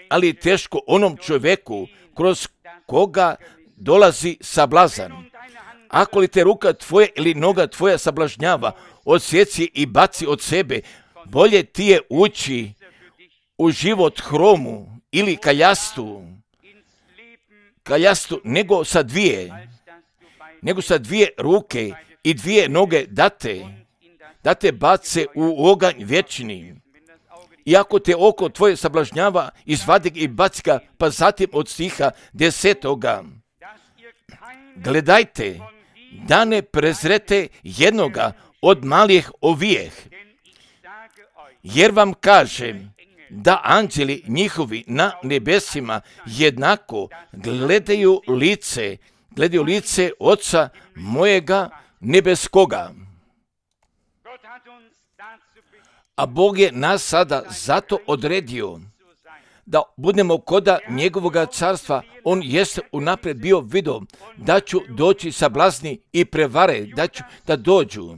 ali teško onom čovjeku kroz koga dolazi sablazan. Ako li te ruka tvoja ili noga tvoja sablažnjava, odsjeci i baci od sebe, bolje ti je ući u život hromu ili kaljastu nego sa dvije ruke i dvije noge da te bace u oganj vječni. I ako te oko tvoje sablažnjava, izvadi ga i baci ga, pa zatim od stiha 10. Gledajte, da ne prezrete jednoga od malih ovijeh, jer vam kažem da anđeli njihovi na nebesima jednako gledaju lice Oca mojega nebeskoga. A Bog je nas sada zato odredio da budemo koda njegovoga carstva. On jeste unaprijed bio vidio da ću doći sablazni i prevare, da dođu.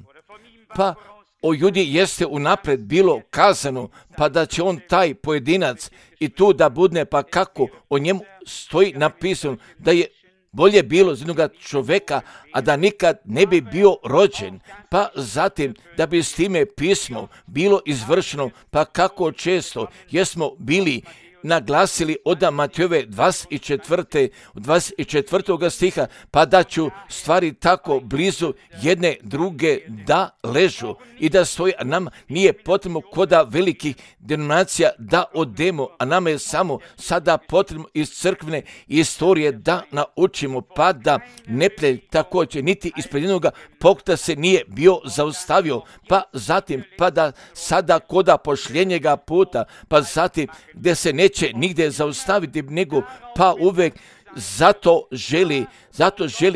Pa o Judi jeste unaprijed bilo kazano, pa da će on taj pojedinac i tu da budne, pa kako o njemu stoji napisano da je bolje bilo za jednoga čovjeka, a da nikad ne bi bio rođen, pa zatim da bi s time pismo bilo izvršeno, pa kako često jesmo bili naglasili od Matejove 24. stiha, pa da ću stvari tako blizu jedne druge da ležu i da stoji, a nam nije potrebno koda velikih denominacija da odemo, a nama je samo sada potrebno iz crkvene istorije da naučimo, pa da neprijatelj također niti ispred jednoga pokuta se nije bio zaustavio, pa zatim pa da sada koda pošljenjega puta, pa zatim gdje se neće nigdje zaustaviti, nego pa uvijek zato želi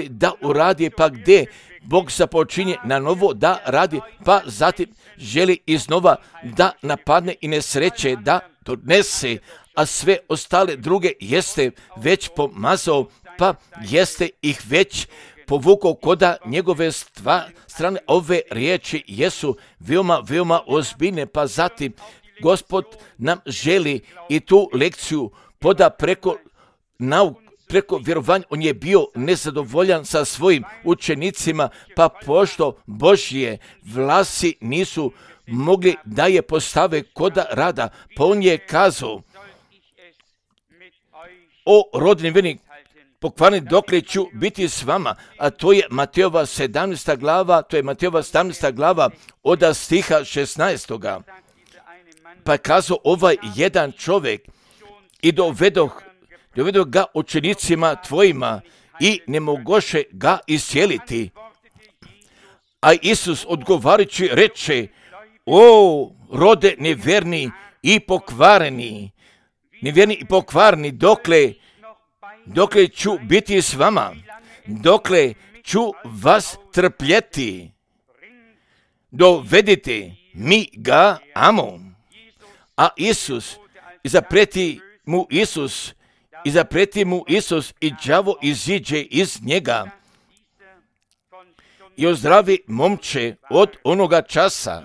da uradi, pa gdje Bog započinje na novo da radi, pa zatim želi iznova da napadne i nesreće da donese, a sve ostale druge jeste već pomazao, pa jeste ih već povukao koda njegove strane. Ove riječi jesu veoma ozbiljne, pa zatim Gospod nam želi i tu lekciju poda preko vjerovanja. On je bio nezadovoljan sa svojim učenicima, pa pošto Božje vlasi nisu mogli da je postave koda rada, pa on je kazao o rodni vjernik pokvarni dokle ću biti s vama, a to je Matejova 17. glava od stiha 16. Pa je kazao ovaj jedan čovjek i dovedoh ga učenicima tvojima i ne mogoše ga iscijeliti. A Isus odgovarajući reče: o rode nevjerni i pokvareni, dokle ću biti s vama, dokle ću vas trpjeti, dovedite mi ga amo. A Isus, izapreti mu Isus i đavo iziđe iz njega. i ozdravi momče od onoga časa.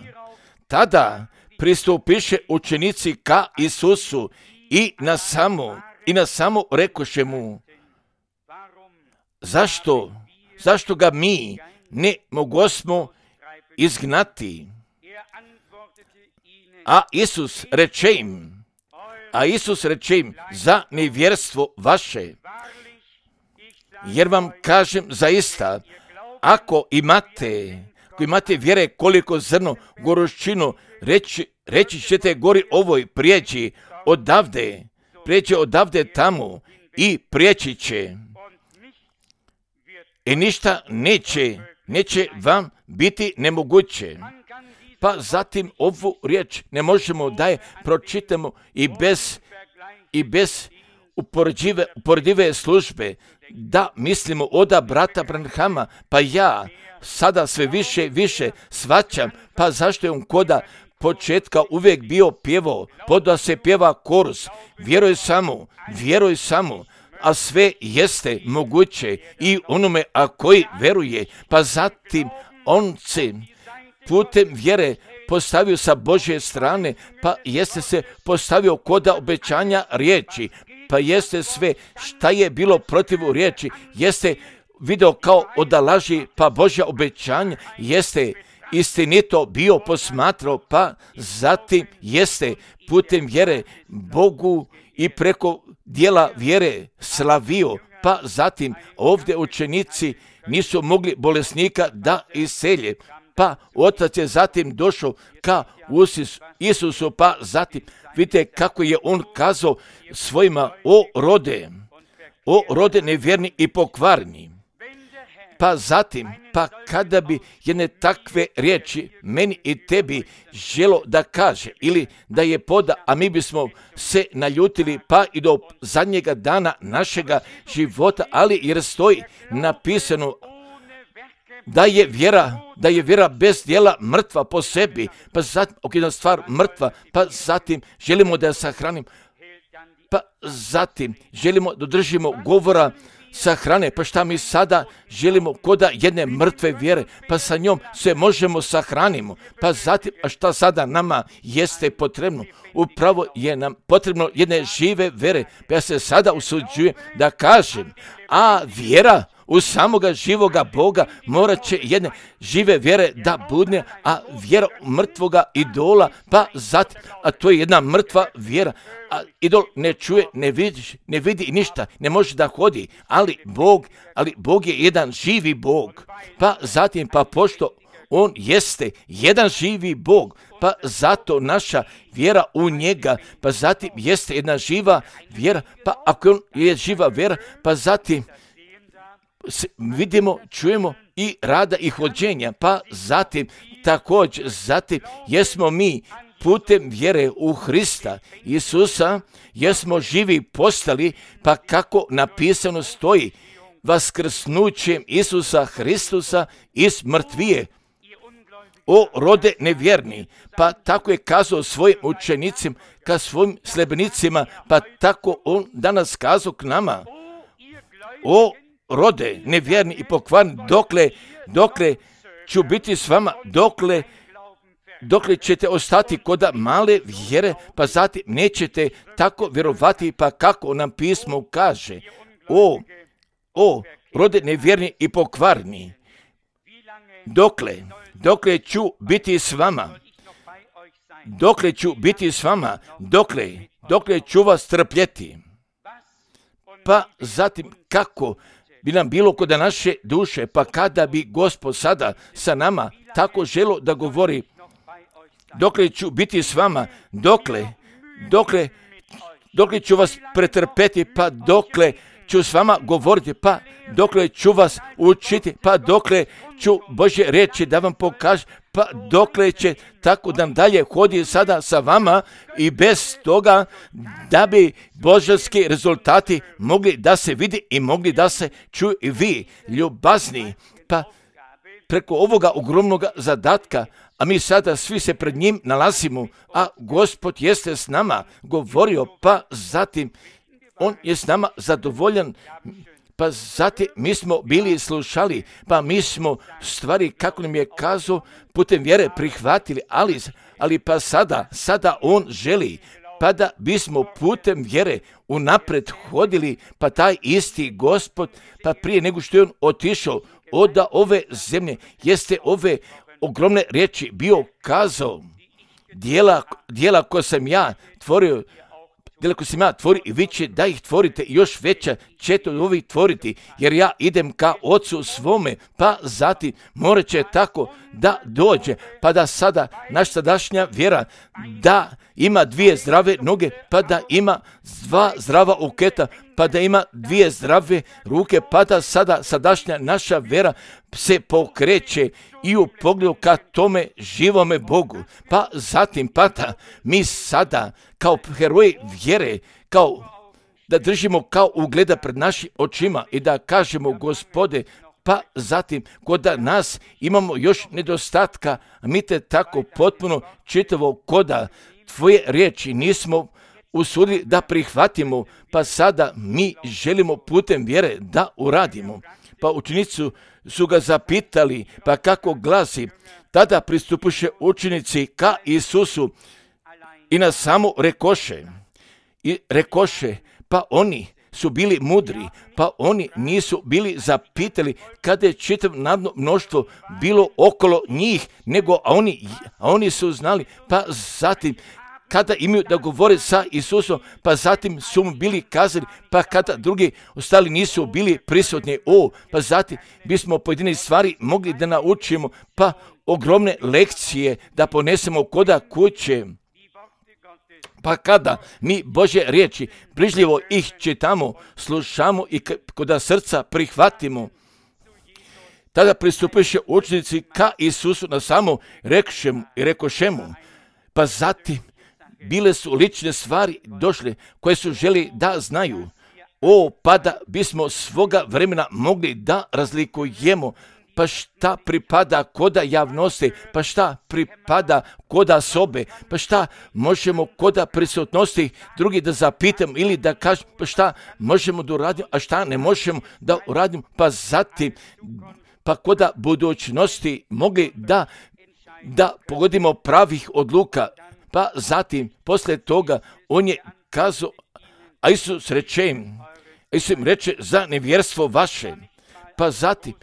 Tada pristupiše učenici ka Isusu i na samo rekoše mu, zašto ga mi ne mogosmo izgnati? A Isus reče im, za nevjerstvo vaše. Jer vam kažem zaista, ako imate vjere koliko zrno goruščinu, reći ćete gori ovoj prijeđi odavde tamo i prijeći će. I ništa neće vam biti nemoguće. Pa zatim ovu riječ ne možemo da je pročitamo i bez uporedive službe, da mislimo oda brata Branhama, pa ja sada sve više shvaćam, pa zašto je on koda početka uvijek bio pjevao, da se pjeva korus, vjeruj samo, a sve jeste moguće i onome a koji veruje, pa zatim on se putem vjere postavio sa Božje strane, pa jeste se postavio koda obećanja riječi, pa jeste sve šta je bilo protiv riječi, jeste video kao odalaži, pa Božja obećanja jeste istinito bio posmatrao, pa zatim jeste putem vjere Bogu i preko dijela vjere slavio, pa zatim ovdje učenici nisu mogli bolesnika da iselje, pa otac je zatim došao ka Isusu, pa zatim vidite kako je on kazao svojima, o rode nevjerni i pokvarni. Pa zatim, pa kada bi jedne takve riječi meni i tebi želo da kaže ili da je poda, a mi bismo se naljutili pa i do zadnjega dana našega života, ali jer stoji napisano da je vjera bez djela mrtva po sebi, pa zatim, jedna stvar mrtva, pa zatim želimo da je sahranimo, pa zatim želimo da držimo govora sahrane, pa šta mi sada želimo koda jedne mrtve vjere, pa sa njom se možemo sahranimo, pa zatim, a šta sada nama jeste potrebno? Upravo je nam potrebno jedne žive vjere, pa ja se sada usuđujem da kažem, a vjera u samoga živoga Boga morat će jedne žive vjere da budne, a vjera mrtvoga idola, pa zatim, a to je jedna mrtva vjera, a idol ne čuje, ne vidi ništa, ne može da hodi, ali Bog je jedan živi Bog, pa zatim, pa pošto on jeste jedan živi Bog, pa zato naša vjera u njega, pa zatim jeste jedna živa vjera, pa ako on je živa vjera, pa zatim vidimo, čujemo i rada i hođenja, pa zatim također, zatim jesmo mi putem vjere u Hrista Isusa, jesmo živi postali, pa kako napisano stoji, vaskrsnućem Isusa Hristusa iz mrtvije, o rode nevjerni, pa tako je kazao svojim učenicima, ka svojim sljedbenicima, pa tako on danas kazao k nama, o rode nevjerni i pokvarni, dokle ću biti s vama, dokle ćete ostati koda male vjere, pa zatim nećete tako vjerovati, pa kako nam pismo kaže, o rode nevjerni i pokvarni, dokle ću biti s vama, dokle ću vas trpjeti, pa zatim kako bi nam bilo kod naše duše, pa kada bi Gospod sada sa nama tako želo da govori, dokle ću biti s vama, dokle ću vas pretrpeti, pa dokle ću s vama govoriti, pa dokle ću vas učiti, pa dokle ću Božje riječi da vam pokažem, pa dokle će tako da dalje hodi sada sa vama i bez toga da bi božanski rezultati mogli da se vidi i mogli da se čuju i vi, ljubazni, pa preko ovoga ogromnog zadatka, a mi sada svi se pred njim nalazimo, a Gospod jeste s nama govorio, pa zatim on je s nama zadovoljan, pa zatim mi smo bili slušali, pa mi smo stvari, kako nam je kazao, putem vjere prihvatili, ali pa sada on želi, pa da bismo putem vjere unapred hodili, pa taj isti Gospod, pa prije nego što je on otišao od ove zemlje, jeste ove ogromne riječi bio kazao, dijela koje sam ja tvorio, i vi će da ih tvorite, još veća ćete od ovih tvoriti, jer ja idem ka Ocu svome, pa zatim morat će tako da dođe, pa da sada naša sadašnja vjera da ima 2 zdrave noge, pa da ima 2 zdrava uketa, pa da ima 2 zdrave ruke, pa da sada sadašnja naša vjera se pokreće i u pogledu ka tome živome Bogu. Pa zatim, pa da mi sada kao heroji vjere, kao da držimo kao ugleda pred našim očima i da kažemo, Gospode, pa zatim kod nas imamo još nedostatka, a mi te tako potpuno čitavo koda tvoje riječi nismo usudili da prihvatimo, pa sada mi želimo putem vjere da uradimo. Pa učenici su ga zapitali, pa kako glasi, tada pristupuše učenici ka Isusu i na samo rekoše, pa oni su bili mudri, pa oni nisu bili zapitali kada je čitav narodno mnoštvo bilo okolo njih, a oni su znali, pa zatim kada imaju da govore sa Isusom, pa zatim su mu bili kazali, pa kada drugi ostali nisu bili prisutni, pa zatim bismo pojedine stvari mogli da naučimo, pa ogromne lekcije da ponesemo koda kuće. Pa kada mi Božje riječi brižljivo ih čitamo, slušamo i koda srca prihvatimo, tada pristupiše učenici ka Isusu na samo rekošemu, pa zatim bile su lične stvari došle koje su želi da znaju. Pa da bismo svoga vremena mogli da razlikujemo, pa šta pripada koda javnosti, pa šta pripada koda sobe, pa šta možemo koda prisutnosti drugi da zapitamo ili da kažemo, pa šta možemo da uradimo, a šta ne možemo da uradimo, pa zatim, pa koda budućnosti mogli da pogodimo pravih odluka, pa zatim, posle toga, on je kazao, a Isus im reče za nevjerstvo vaše, pa zatim,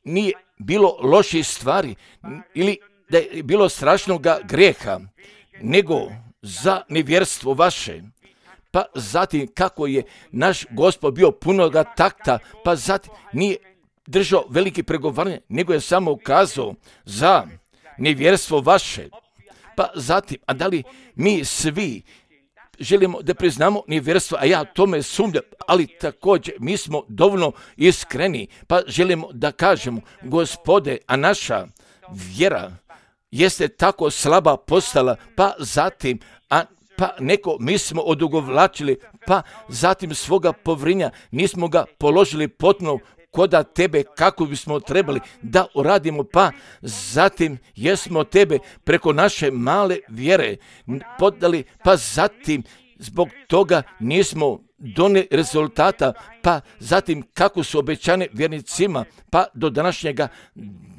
nije bilo loših stvari ili da je bilo strašnoga grijeha, nego za nevjerstvo vaše. Pa zatim kako je naš Gospod bio punoga takta, pa zatim nije držao veliki pregovaranje, nego je samo ukazao za nevjerstvo vaše. Pa zatim, a da li mi svi želimo da priznamo nevjerstvo, a ja tome sumnjam, ali također mi smo dovoljno iskreni, pa želimo da kažemo, Gospode, a naša vjera jeste tako slaba postala, pa zatim, pa neko mi smo odugovlačili, pa zatim svoga povrinja nismo ga položili potpuno koda tebe kako bismo trebali da uradimo, pa zatim jesmo tebe preko naše male vjere podali, pa zatim zbog toga nismo donijeli rezultata, pa zatim kako su obećane vjernicima, pa do današnjega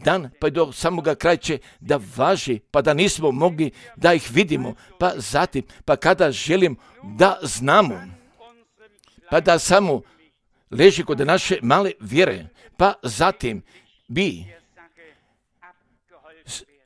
dana, pa i do samoga kraja će da važi, pa da nismo mogli da ih vidimo, pa zatim, pa kada želim da znamo, pa da samo leži kod naše male vjere, pa zatim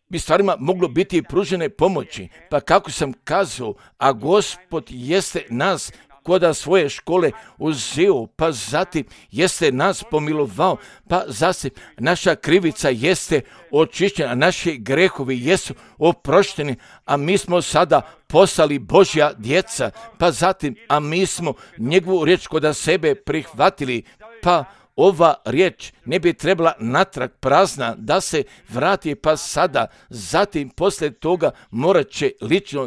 bi stvarima moglo biti pružene pomoći, pa kako sam kazao, a Gospod jeste nas koda svoje škole uzeo, pa zatim jeste nas pomilovao, pa zatim naša krivica jeste očišćena, naši grehovi jesu oprošteni, a mi smo sada postali Božja djeca, pa zatim, a mi smo njegovu riječ koda sebe prihvatili, pa ova riječ ne bi trebala natrag prazna da se vrati, pa sada, zatim posle toga morat će lično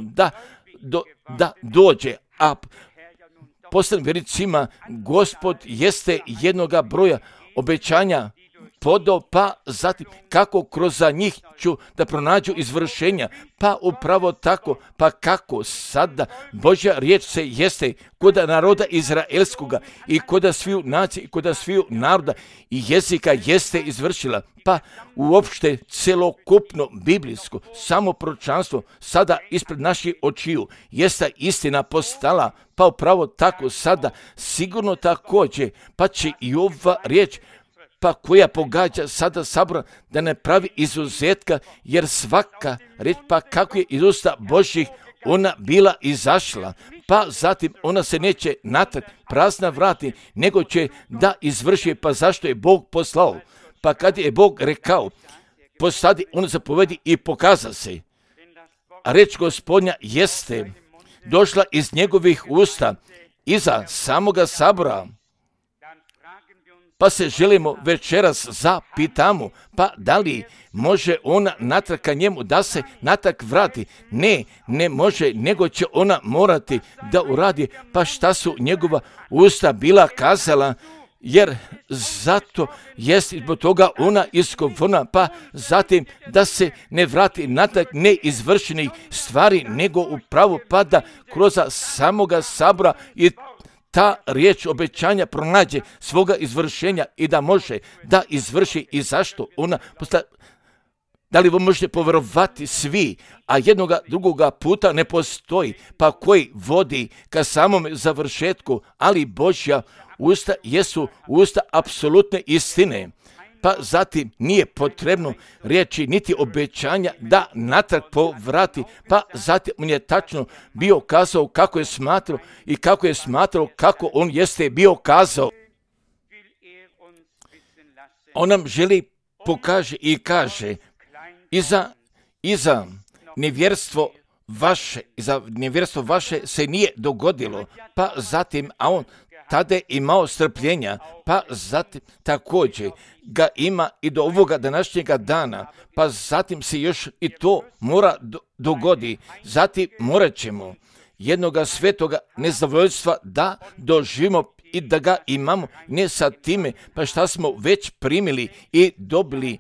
da dođe, a poslednjim vjernicima Gospod jeste jednoga broja obećanja podo, pa zatim kako kroz njih ću da pronađu izvršenja, pa upravo tako, pa kako sada Božja riječ se jeste kod naroda izraelskoga i kod sviju nacija i kod sviju naroda i jezika jeste izvršila, pa uopšte celokupno biblijsko samoproročanstvo sada ispred naših očiju jeste istina postala, pa upravo tako sada sigurno također, pa će i ova riječ pa koja pogađa sada sabor da ne pravi izuzetka, jer svaka riječ pa kako je iz usta Božjih ona bila izašla, pa zatim ona se neće natrag prazna vrati, nego će da izvrši, pa zašto je Bog poslao, pa kad je Bog rekao, postadi, on zapovedi i pokaza se. A reč Gospodnja jeste došla iz njegovih usta, iza samoga sabora. Pa se želimo večeras zapitamo, pa da li može ona natrag ka njemu da se natrag vrati? Ne može, nego će ona morati da uradi, pa šta su njegova usta bila kazala, jer zato jest zbog toga ona isgovorna, pa zatim da se ne vrati natrag neizvršenih stvari, nego upravo pa da kroz samoga sabora i ta riječ obećanja pronađe svoga izvršenja i da može da izvrši. I zašto ona da li vi možete povjerovati svi, a jednoga drugoga puta ne postoji, pa koji vodi ka samom završetku, ali Božja usta jesu usta apsolutne istine. Pa zatim nije potrebno riječi niti obećanja da natrag povrati, pa zatim on je tačno bio kazao kako je smatrao i kako je smatrao kako on jeste bio kazao. On nam želi pokaže i kaže iza nevjerstvo vaše se nije dogodilo, pa zatim, a on tada je imao strpljenja, pa zatim također ga ima i do ovoga današnjega dana, pa zatim se još i to mora dogodi. Zatim morat ćemo jednoga svetoga nezadovoljstva da doživimo i da ga imamo, ne sa time, pa šta smo već primili i dobili,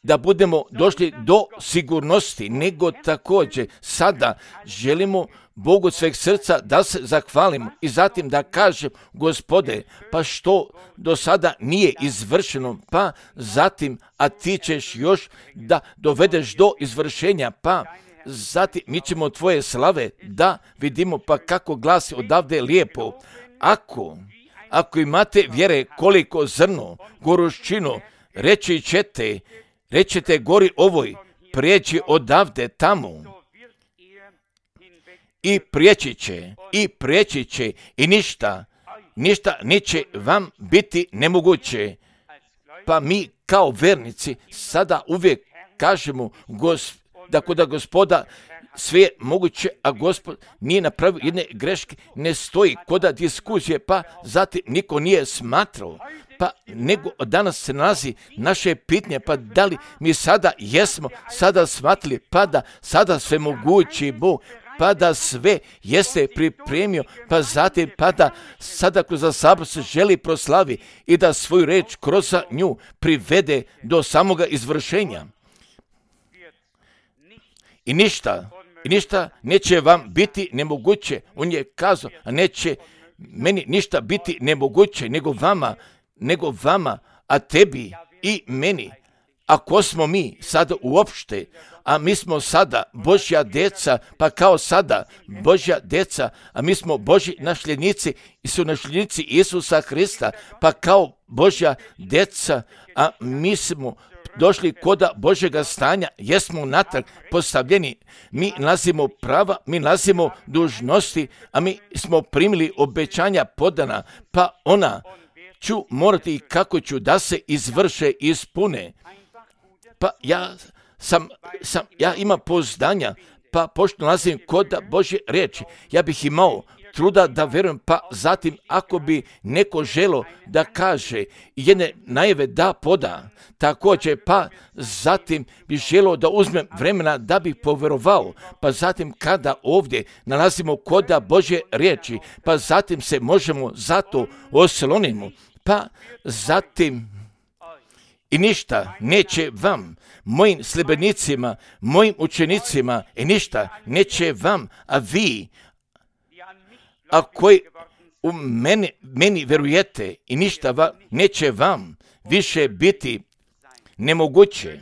da budemo došli do sigurnosti, nego također sada želimo Bogu sveg srca da se zahvalimo i zatim da kažem, Gospode, pa što do sada nije izvršeno, pa zatim, a ti ćeš još da dovedeš do izvršenja, pa zatim mi ćemo tvoje slave da vidimo, pa kako glasi odavde lijepo. Ako imate vjere koliko zrno, goruščino, rećete gori ovoj, prijeđi odavde tamo. I prijeći će i ništa neće vam biti nemoguće. Pa mi kao vernici sada uvijek kažemo da kod Gospoda sve je moguće, a Gospod nije napravio jedne greške, ne stoji kod diskusije, pa zatim niko nije smatrao. Pa nego danas se nalazi naše pitanje, pa da li mi sada jesmo sada shvatili, pa da sada sve mogući Bog, pa da sve jeste pripremio, pa zatim pa da sada kroz sabor se želi proslavi i da svoju reč kroz nju privede do samoga izvršenja. I ništa neće vam biti nemoguće. On je kazao, a neće meni ništa biti nemoguće nego vama, a tebi i meni. Ako smo mi sada uopšte, a mi smo sada Božja deca, pa kao sada Božja deca, a mi smo Božji nasljednici i su nasljednici Isusa Hrista, pa kao Božja deca, a mi smo došli kod Božjega stanja, jesmo natrag postavljeni, mi nalazimo prava, mi nalazimo dužnosti, a mi smo primili obećanja podana, pa ona ću morati i kako ću da se izvrše, ispune. Pa ja imam pouzdanja, pa pošto nalazim kod Božje riječi, ja bih imao truda da verujem, pa zatim ako bi neko želo da kaže jedne najave da poda, također pa zatim bi želo da uzmem vremena da bi poverovao, pa zatim kada ovdje nalazimo kod Božje riječi, pa zatim se možemo zato oslonimo, pa zatim i ništa neće vam, mojim sljedbenicima, mojim učenicima, i ništa neće vam, a vi, a koji u meni verujete, i ništa neće vam više biti nemoguće.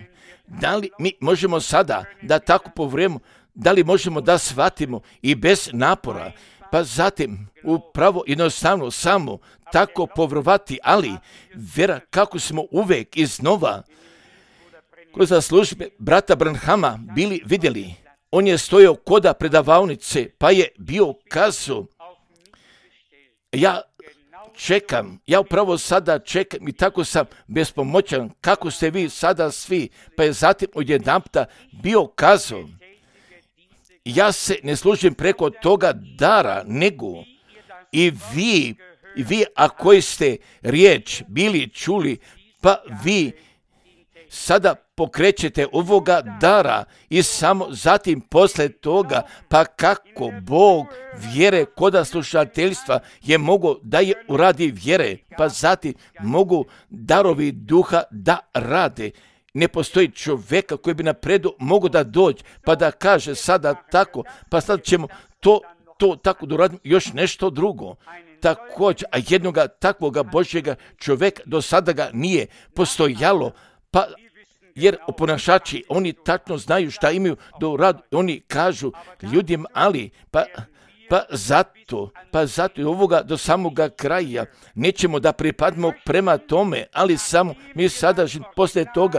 Da li mi možemo sada da tako povrijemo, da li možemo da shvatimo i bez napora, pa zatim upravo jednostavno samo tako povjerovati, ali vjera kako smo uvijek iznova kroz službe brata Branhama bili vidjeli. On je stojao koda predavaonice, pa je bio kazao, ja čekam, ja upravo sada čekam i tako sam bespomoćan, kako ste vi sada svi, pa je zatim odjedanputa bio kazao, ja se ne služim preko toga dara, nego i vi, a koji ste riječ bili čuli, pa vi sada pokrećete ovoga dara i samo zatim posle toga, pa kako Bog vjere koda slušateljstva je mogao da je uradi vjere, pa zatim mogu darovi duha da rade. Ne postoji čovjeka koji bi napredu mogu da dođe, pa da kaže sada tako, pa sad ćemo to tako da uradimo još nešto drugo. Također, a jednoga takvoga Božjega čovjeka do sada ga nije postojalo, pa jer oponašači, oni tačno znaju šta imaju da uradu, oni kažu ljudima, ali pa zato ovoga do samoga kraja nećemo da pripadimo prema tome, ali samo mi sada poslije toga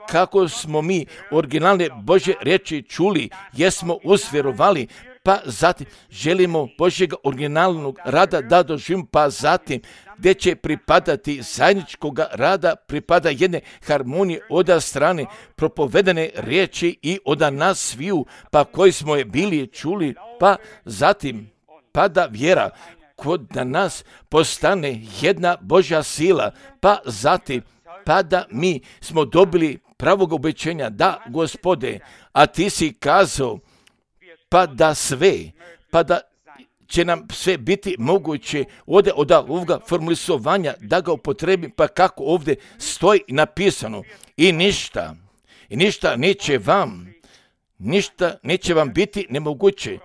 kako smo mi originalne Božje riječi čuli, jesmo usvjerovali, pa zatim želimo Božjega originalnog rada da doživimo, pa zatim gdje će pripadati zajedničkog rada, pripada jedne harmonije od strane propovedane riječi i od nas sviju, pa koji smo je bili čuli, pa zatim pada vjera kod da nas postane jedna Božja sila, pa zatim pa da mi smo dobili pravog obećenja, da Gospode, a ti si kazao, pa da će nam sve biti moguće od ovoga formulisovanja da ga upotrebi, pa kako ovdje stoji napisano, i ništa neće vam biti nemoguće.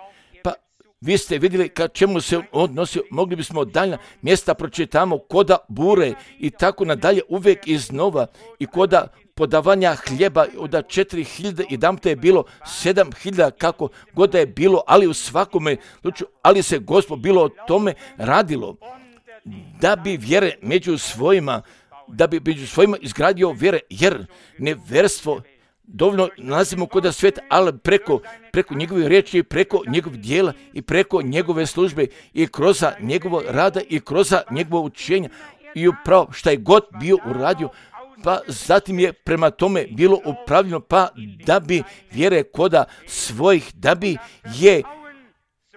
Pa vi ste vidjeli ka čemu se odnosio, mogli bismo dalja mjesta pročitamo koda bure i tako nadalje uvijek iznova, i koda podavanja hljeba od 4.000 i damte je bilo 7.000, kako god da je bilo, ali u svakome slučaju, ali se Gospod bilo o tome radilo, da bi vjere među svojima izgradio vjere, jer neverstvo dovoljno nalazimo kod svijeta, ali preko njegove riječi, preko njegovih dijela i preko njegove službe i kroz njegovo rada i kroz njegovo učenja i upravo šta je god bio uradio, pa zatim je prema tome bilo upravljeno, pa da bi vjere koda svojih, da bi je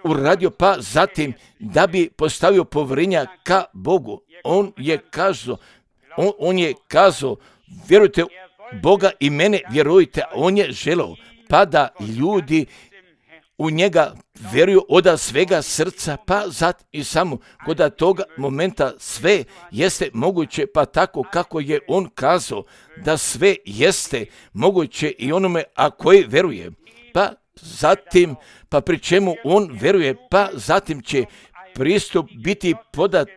uradio, pa zatim da bi postavio povjerenja ka Bogu. On je kazao, vjerujte Boga i mene vjerujte, on je želeo, pa da ljudi u njega vjeruju od svega srca, pa zatim i samo kod toga momenta sve jeste moguće, pa tako kako je on kazao da sve jeste moguće i onome a koji vjeruje, pa zatim, pa pri čemu on vjeruje, pa zatim će pristup biti podat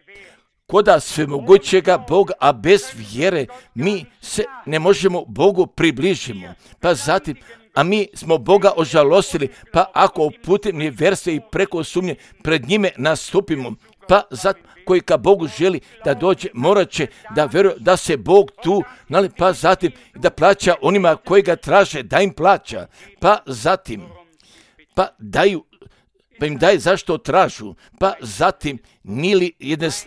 koda svemogućega Boga, a bez vjere mi se ne možemo Bogu približimo, pa zatim, a mi smo Boga ožalostili, pa ako putem nevjerstva i preko sumnje pred njime nastupimo, pa zatim koji ka Bogu želi da dođe, morat će da vjeruje da se Bog tu, pa zatim da plaća onima koji ga traže, da im plaća, pa zatim, pa im daje zašto tražu, pa zatim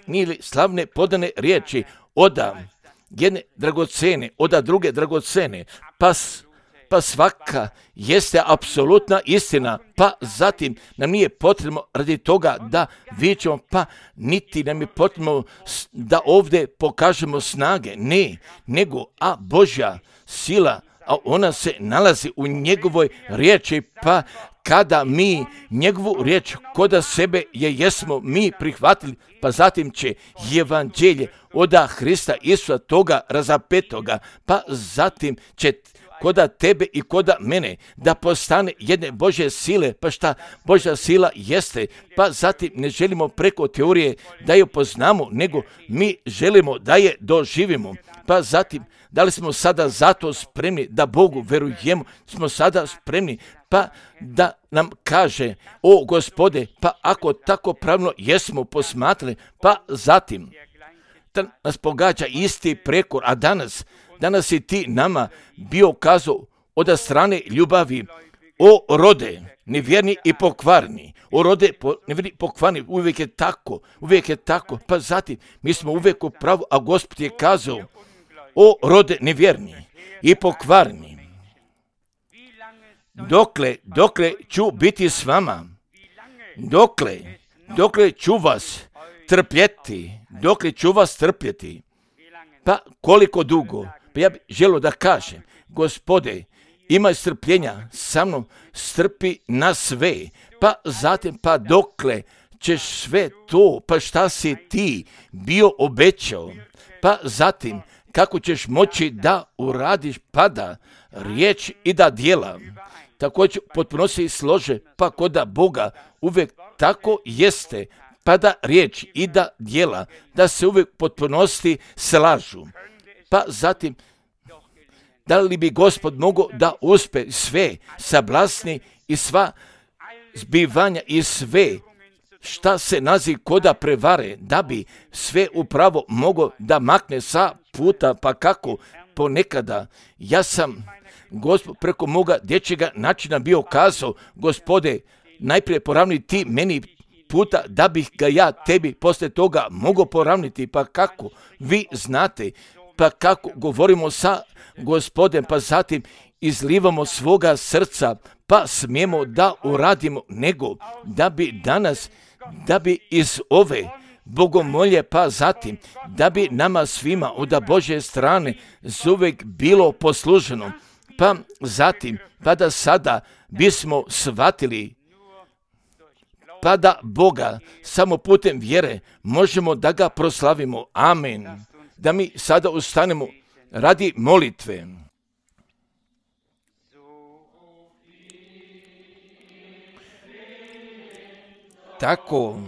nili slavne podane riječi od jedne dragocene, od druge dragocene, pa svaka jeste apsolutna istina, pa zatim nam nije potrebno radi toga da vičemo, pa niti nam je potrebno da ovdje pokažemo snage, ne, nego Božja sila a ona se nalazi u njegovoj riječi, pa kada mi njegovu riječ koda sebe jesmo mi prihvatili, pa zatim će evanđelje oda Hrista Isusa toga razapetoga, pa zatim će koda tebe i koda mene da postane jedne Božje sile, pa šta Božja sila jeste, pa zatim ne želimo preko teorije da ju poznamo, nego mi želimo da je doživimo, pa zatim da li smo sada zato spremni da Bogu verujemo, smo sada spremni pa da nam kaže, o Gospode, pa ako tako pravno jesmo posmatrali, pa zatim da nas pogađa isti prekor, a danas i ti nama bio kazao od strane ljubavi, o rode, nevjerni i pokvarni, o rode, nevjerni i pokvarni, uvijek je tako, pa zatim mi smo uvijek u pravu, a Gospod je kazao, o rode nevjerni i pokvarni, dokle ću biti s vama, dokle ću vas trpjeti, pa koliko dugo, pa ja bih želio da kažem, Gospode, imaj strpljenja sa mnom, strpi na sve, pa zatim, pa dokle ćeš sve to, pa šta si ti bio obećao, pa zatim, kako ćeš moći da uradiš, pa da riječ i da djela, također potpuno se slože, pa koda Boga uvijek tako jeste, pa da riječ i da djela, da se uvijek potpunosti slažu. Pa zatim, da li bi Gospod mogao da uspe sve sablasni i sva zbivanja i sve šta se nazi koda prevare, da bi sve upravo mogao da makne sa puta, pa kako ponekada ja sam Gospod preko moga dječjega načina bio kazao, Gospode, najprije poravni ti meni puta da bih ga ja tebi poslije toga mogao poravniti, pa kako vi znate, pa kako govorimo sa Gospodem, pa zatim izlivamo svoga srca, pa smijemo da uradimo, nego da bi danas, da bi iz ove bogomolje, pa zatim da bi nama svima od Božje strane zuvijek bilo posluženo, pa zatim, pa da sada bismo shvatili, pa da Boga samo putem vjere možemo da ga proslavimo. Amen. Da mi sada ustanemo radi molitve. Tako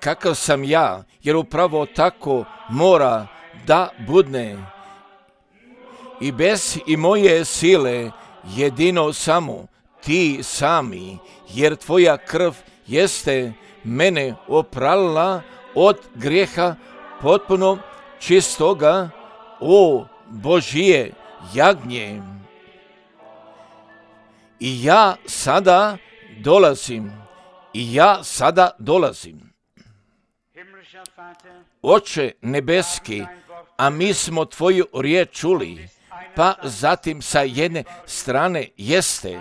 kakav sam ja, jer upravo tako mora da budne. I bez i moje sile jedino samo ti sami, jer tvoja krv jeste mene oprala od grijeha potpuno čistoga, o Božije jagnje. I ja sada dolazim. Oče nebeski, a mi smo tvoju riječ čuli, pa zatim sa jedne strane jeste,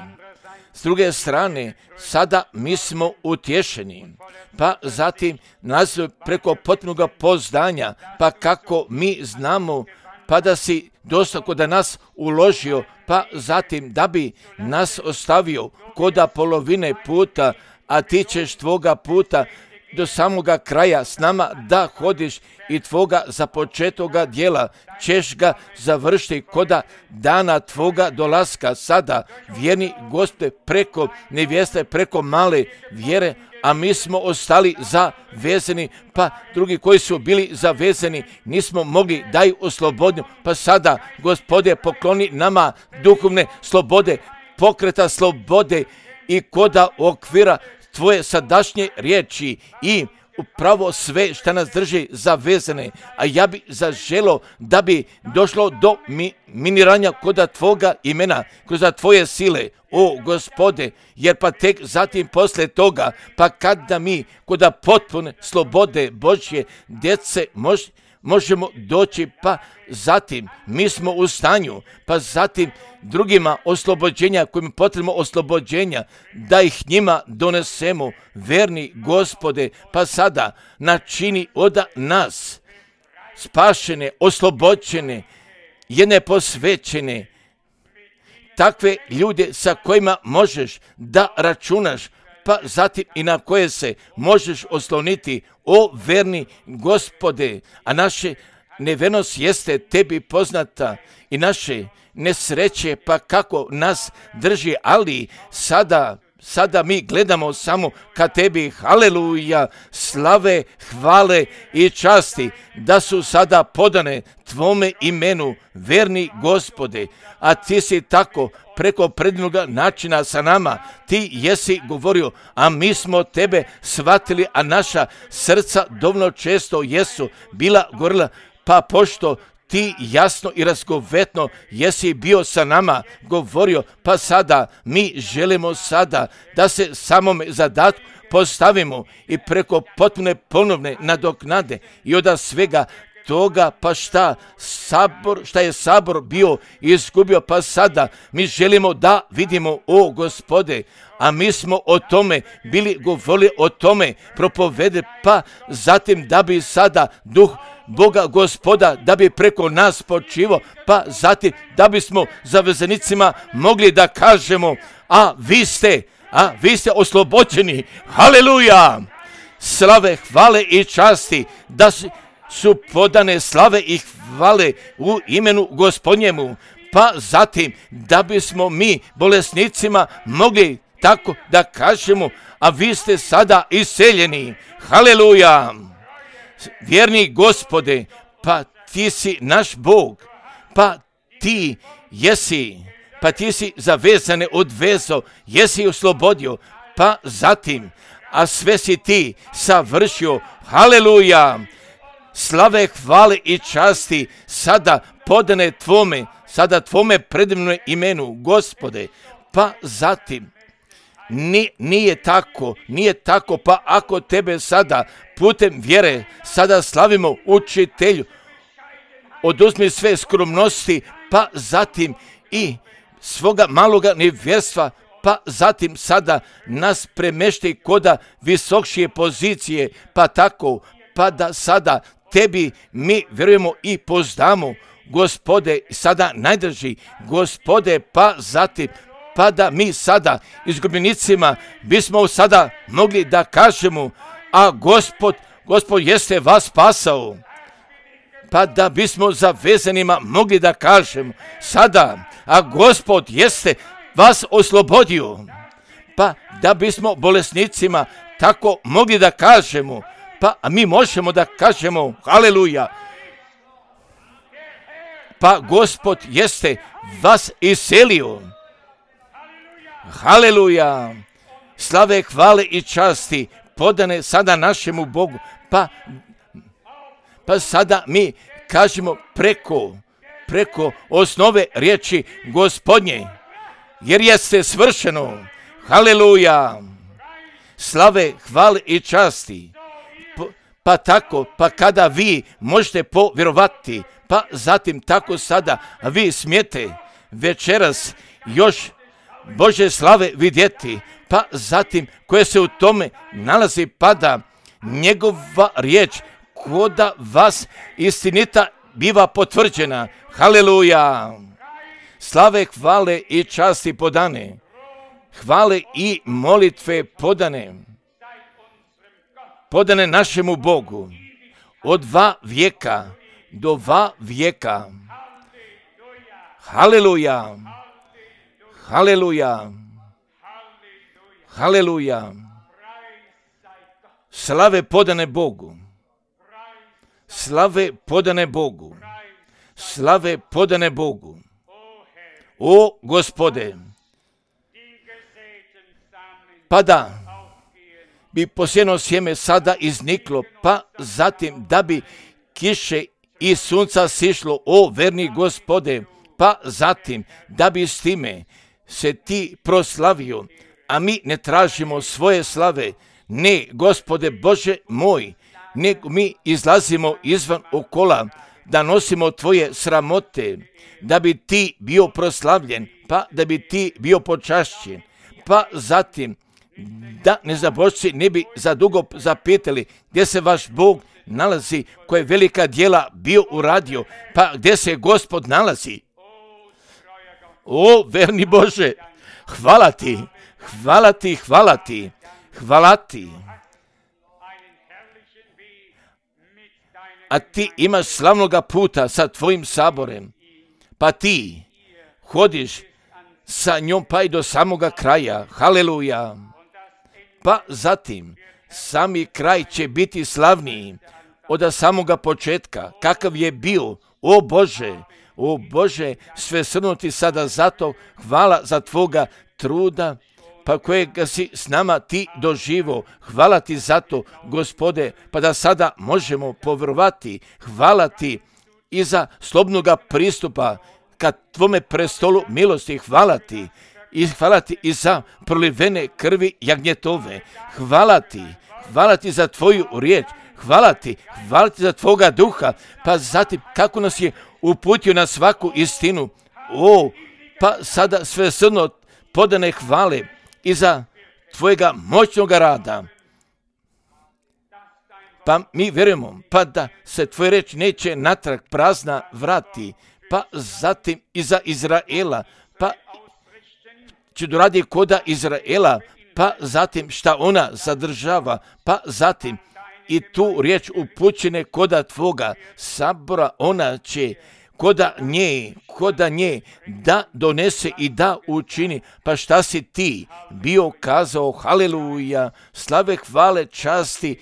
s druge strane sada mi smo utješeni, pa zatim nas preko potpunog poznanja, pa kako mi znamo, pa da si dosta kod nas uložio, pa zatim da bi nas ostavio koda polovine puta, a ti ćeš tvoga puta do samoga kraja s nama da hodiš i tvoga započetoga djela ćeš ga završiti koda dana tvoga dolaska. Sada, vjerni Gospode, preko nevjeste, preko male vjere, a mi smo ostali zavezani, pa drugi koji su bili zavezani nismo mogli da ih oslobodimo. Pa sada, Gospode, pokloni nama duhovne slobode, pokreta slobode i koda okvira tvoje sadašnje riječi i upravo sve što nas drži zavezane, a ja bi zaželo da bi došlo do miniranja koda tvoga imena, kroz tvoje sile, o Gospode, jer pa tek zatim poslije toga, pa kada mi koda potpune slobode Božje djece možemo doći, pa zatim mi smo u stanju, pa zatim drugima oslobođenja, kojim potrebno oslobođenja, da ih njima donesemo, verni Gospode, pa sada načini od nas spašene, oslobođene, jedne posvećene, takve ljude sa kojima možeš da računaš, pa zatim i na koje se možeš osloniti, o verni Gospode, a naše nevernost jeste tebi poznata i naše nesreće, pa kako nas drži, ali sada mi gledamo samo ka tebi, haleluja, slave, hvale i časti, da su sada podane tvome imenu, verni Gospode, a ti si tako preko predivnoga načina sa nama, ti jesi govorio, a mi smo tebe shvatili, a naša srca dovoljno često jesu bila gorila, pa pošto ti jasno i razgovetno jesi bio sa nama govorio, pa sada mi želimo sada da se samome zadatku postavimo i preko potpune ponovne nadoknade i od svega toga, pa šta je sabor bio izgubio, pa sada mi želimo da vidimo, o Gospode, a mi smo o tome bili govorili, o tome propovede, pa zatim da bi sada duh Boga Gospoda da bi preko nas počivo, pa zatim da bismo zavezanicima mogli da kažemo, a vi ste oslobođeni, haleluja, slave, hvale i časti, da su podane slave i hvale u imenu Gospodnjemu, pa zatim da bismo mi bolesnicima mogli tako da kažemo, a vi ste sada iseljeni, haleluja, vjerni Gospode, pa ti si naš Bog, pa ti si zavezane odvezo, jesi oslobodio, pa zatim, a sve si ti savršio, haleluja, slave, hvale i časti, sada podane tvome predivnom imenu, Gospode, pa zatim, nije tako, pa ako tebe sada putem vjere sada slavimo, učitelju, oduzmi sve skromnosti, pa zatim i svoga maloga nevjerstva, pa zatim sada nas premešti koda visokšije pozicije, pa tako, pa da sada tebi mi vjerujemo i poznamo, Gospode, sada najdrži, Gospode, pa zatim, pa da mi sada izgubljenicima bismo sada mogli da kažemo, a Gospod jeste vas spasao, pa da bismo zavezanima mogli da kažemo sada, a Gospod jeste vas oslobodio, pa da bismo bolesnicima tako mogli da kažemo, pa mi možemo da kažemo, haleluja, pa Gospod jeste vas iselio, haleluja, slave, hvale i časti podane sada našemu Bogu, pa sada mi kažemo preko osnove riječi Gospodnje, jer jeste svršeno, haleluja, slave, hvale i časti, pa tako, pa kada vi možete povjerovati, pa zatim tako sada vi smijete večeras još Bože slave vidjeti, pa zatim koje se u tome nalazi, pa da njegova riječ koda vas istinita biva potvrđena, haleluja, slave, hvale i časti podane, hvale i molitve podane našemu Bogu od 2 vijeka do 2 vijeka, haleluja, haleluja, haleluja, slave podane Bogu, slave podane Bogu, slave podane Bogu, o Gospode, pa da bi posijeno sjeme sada izniklo, pa zatim da bi kiše i sunca sišlo, o verni Gospode, pa zatim da bi s time se ti proslavio, a mi ne tražimo svoje slave, ne, Gospode Bože moj, nego mi izlazimo izvan okola, da nosimo tvoje sramote, da bi ti bio proslavljen, pa da bi ti bio počašćen, pa zatim da nezabožci ne bi zadugo zapitali gdje se vaš Bog nalazi, koje velika djela bio uradio, pa gdje se Gospod nalazi. O, verni Bože, hvala ti, hvala ti, hvala ti, hvala ti. A ti imaš slavnoga puta sa tvojim saborem, pa ti hodiš sa njom pa i do samoga kraja. Haleluja. Pa zatim sami kraj će biti slavniji od samoga početka, kakav je bio. O Bože, sve srnuti sada zato, hvala za tvoga truda, pa kojega si s nama ti doživo. Hvala ti za to, Gospode, pa da sada možemo povjerovati. Hvala ti i za slobodnoga pristupa ka tvome prestolu milosti. Hvala ti i za prolivene krvi jagnjetove. Hvala ti za tvoju riječ. Hvala ti za tvoga duha, pa zatim kako nas je uputio na svaku istinu. Pa sada sve srno podane hvale i za tvojega moćnog rada. Pa mi vjerujemo, pa da se tvoja reč neće natrag prazna vrati, pa zatim i za Izraela, pa će doradi koda Izraela, pa zatim šta ona zadržava, pa zatim i tu riječ upućene koda tvoga sabora, ona će koda nje da donese i da učini. Pa šta si ti bio kazao, haleluja, slave, hvale, časti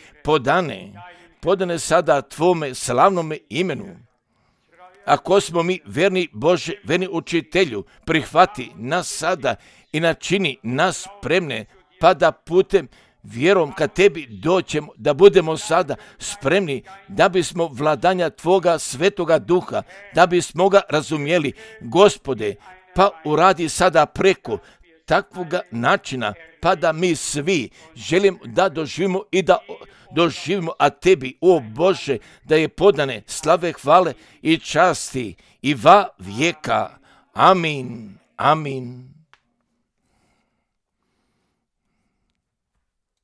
podane sada tvome slavnome imenu. Ako smo mi verni Bože, verni učitelju, prihvati nas sada i načini nas spremne, pa da putem vjerom kad tebi doćemo, da budemo sada spremni, da bismo vladanja tvoga svetoga duha, da bismo ga razumjeli. Gospode, pa uradi sada preko takvoga načina, pa da mi svi želimo da doživimo i da doživimo, a tebi, o Bože, da je podane slave, hvale i časti i va vijeka. Amin. Amin.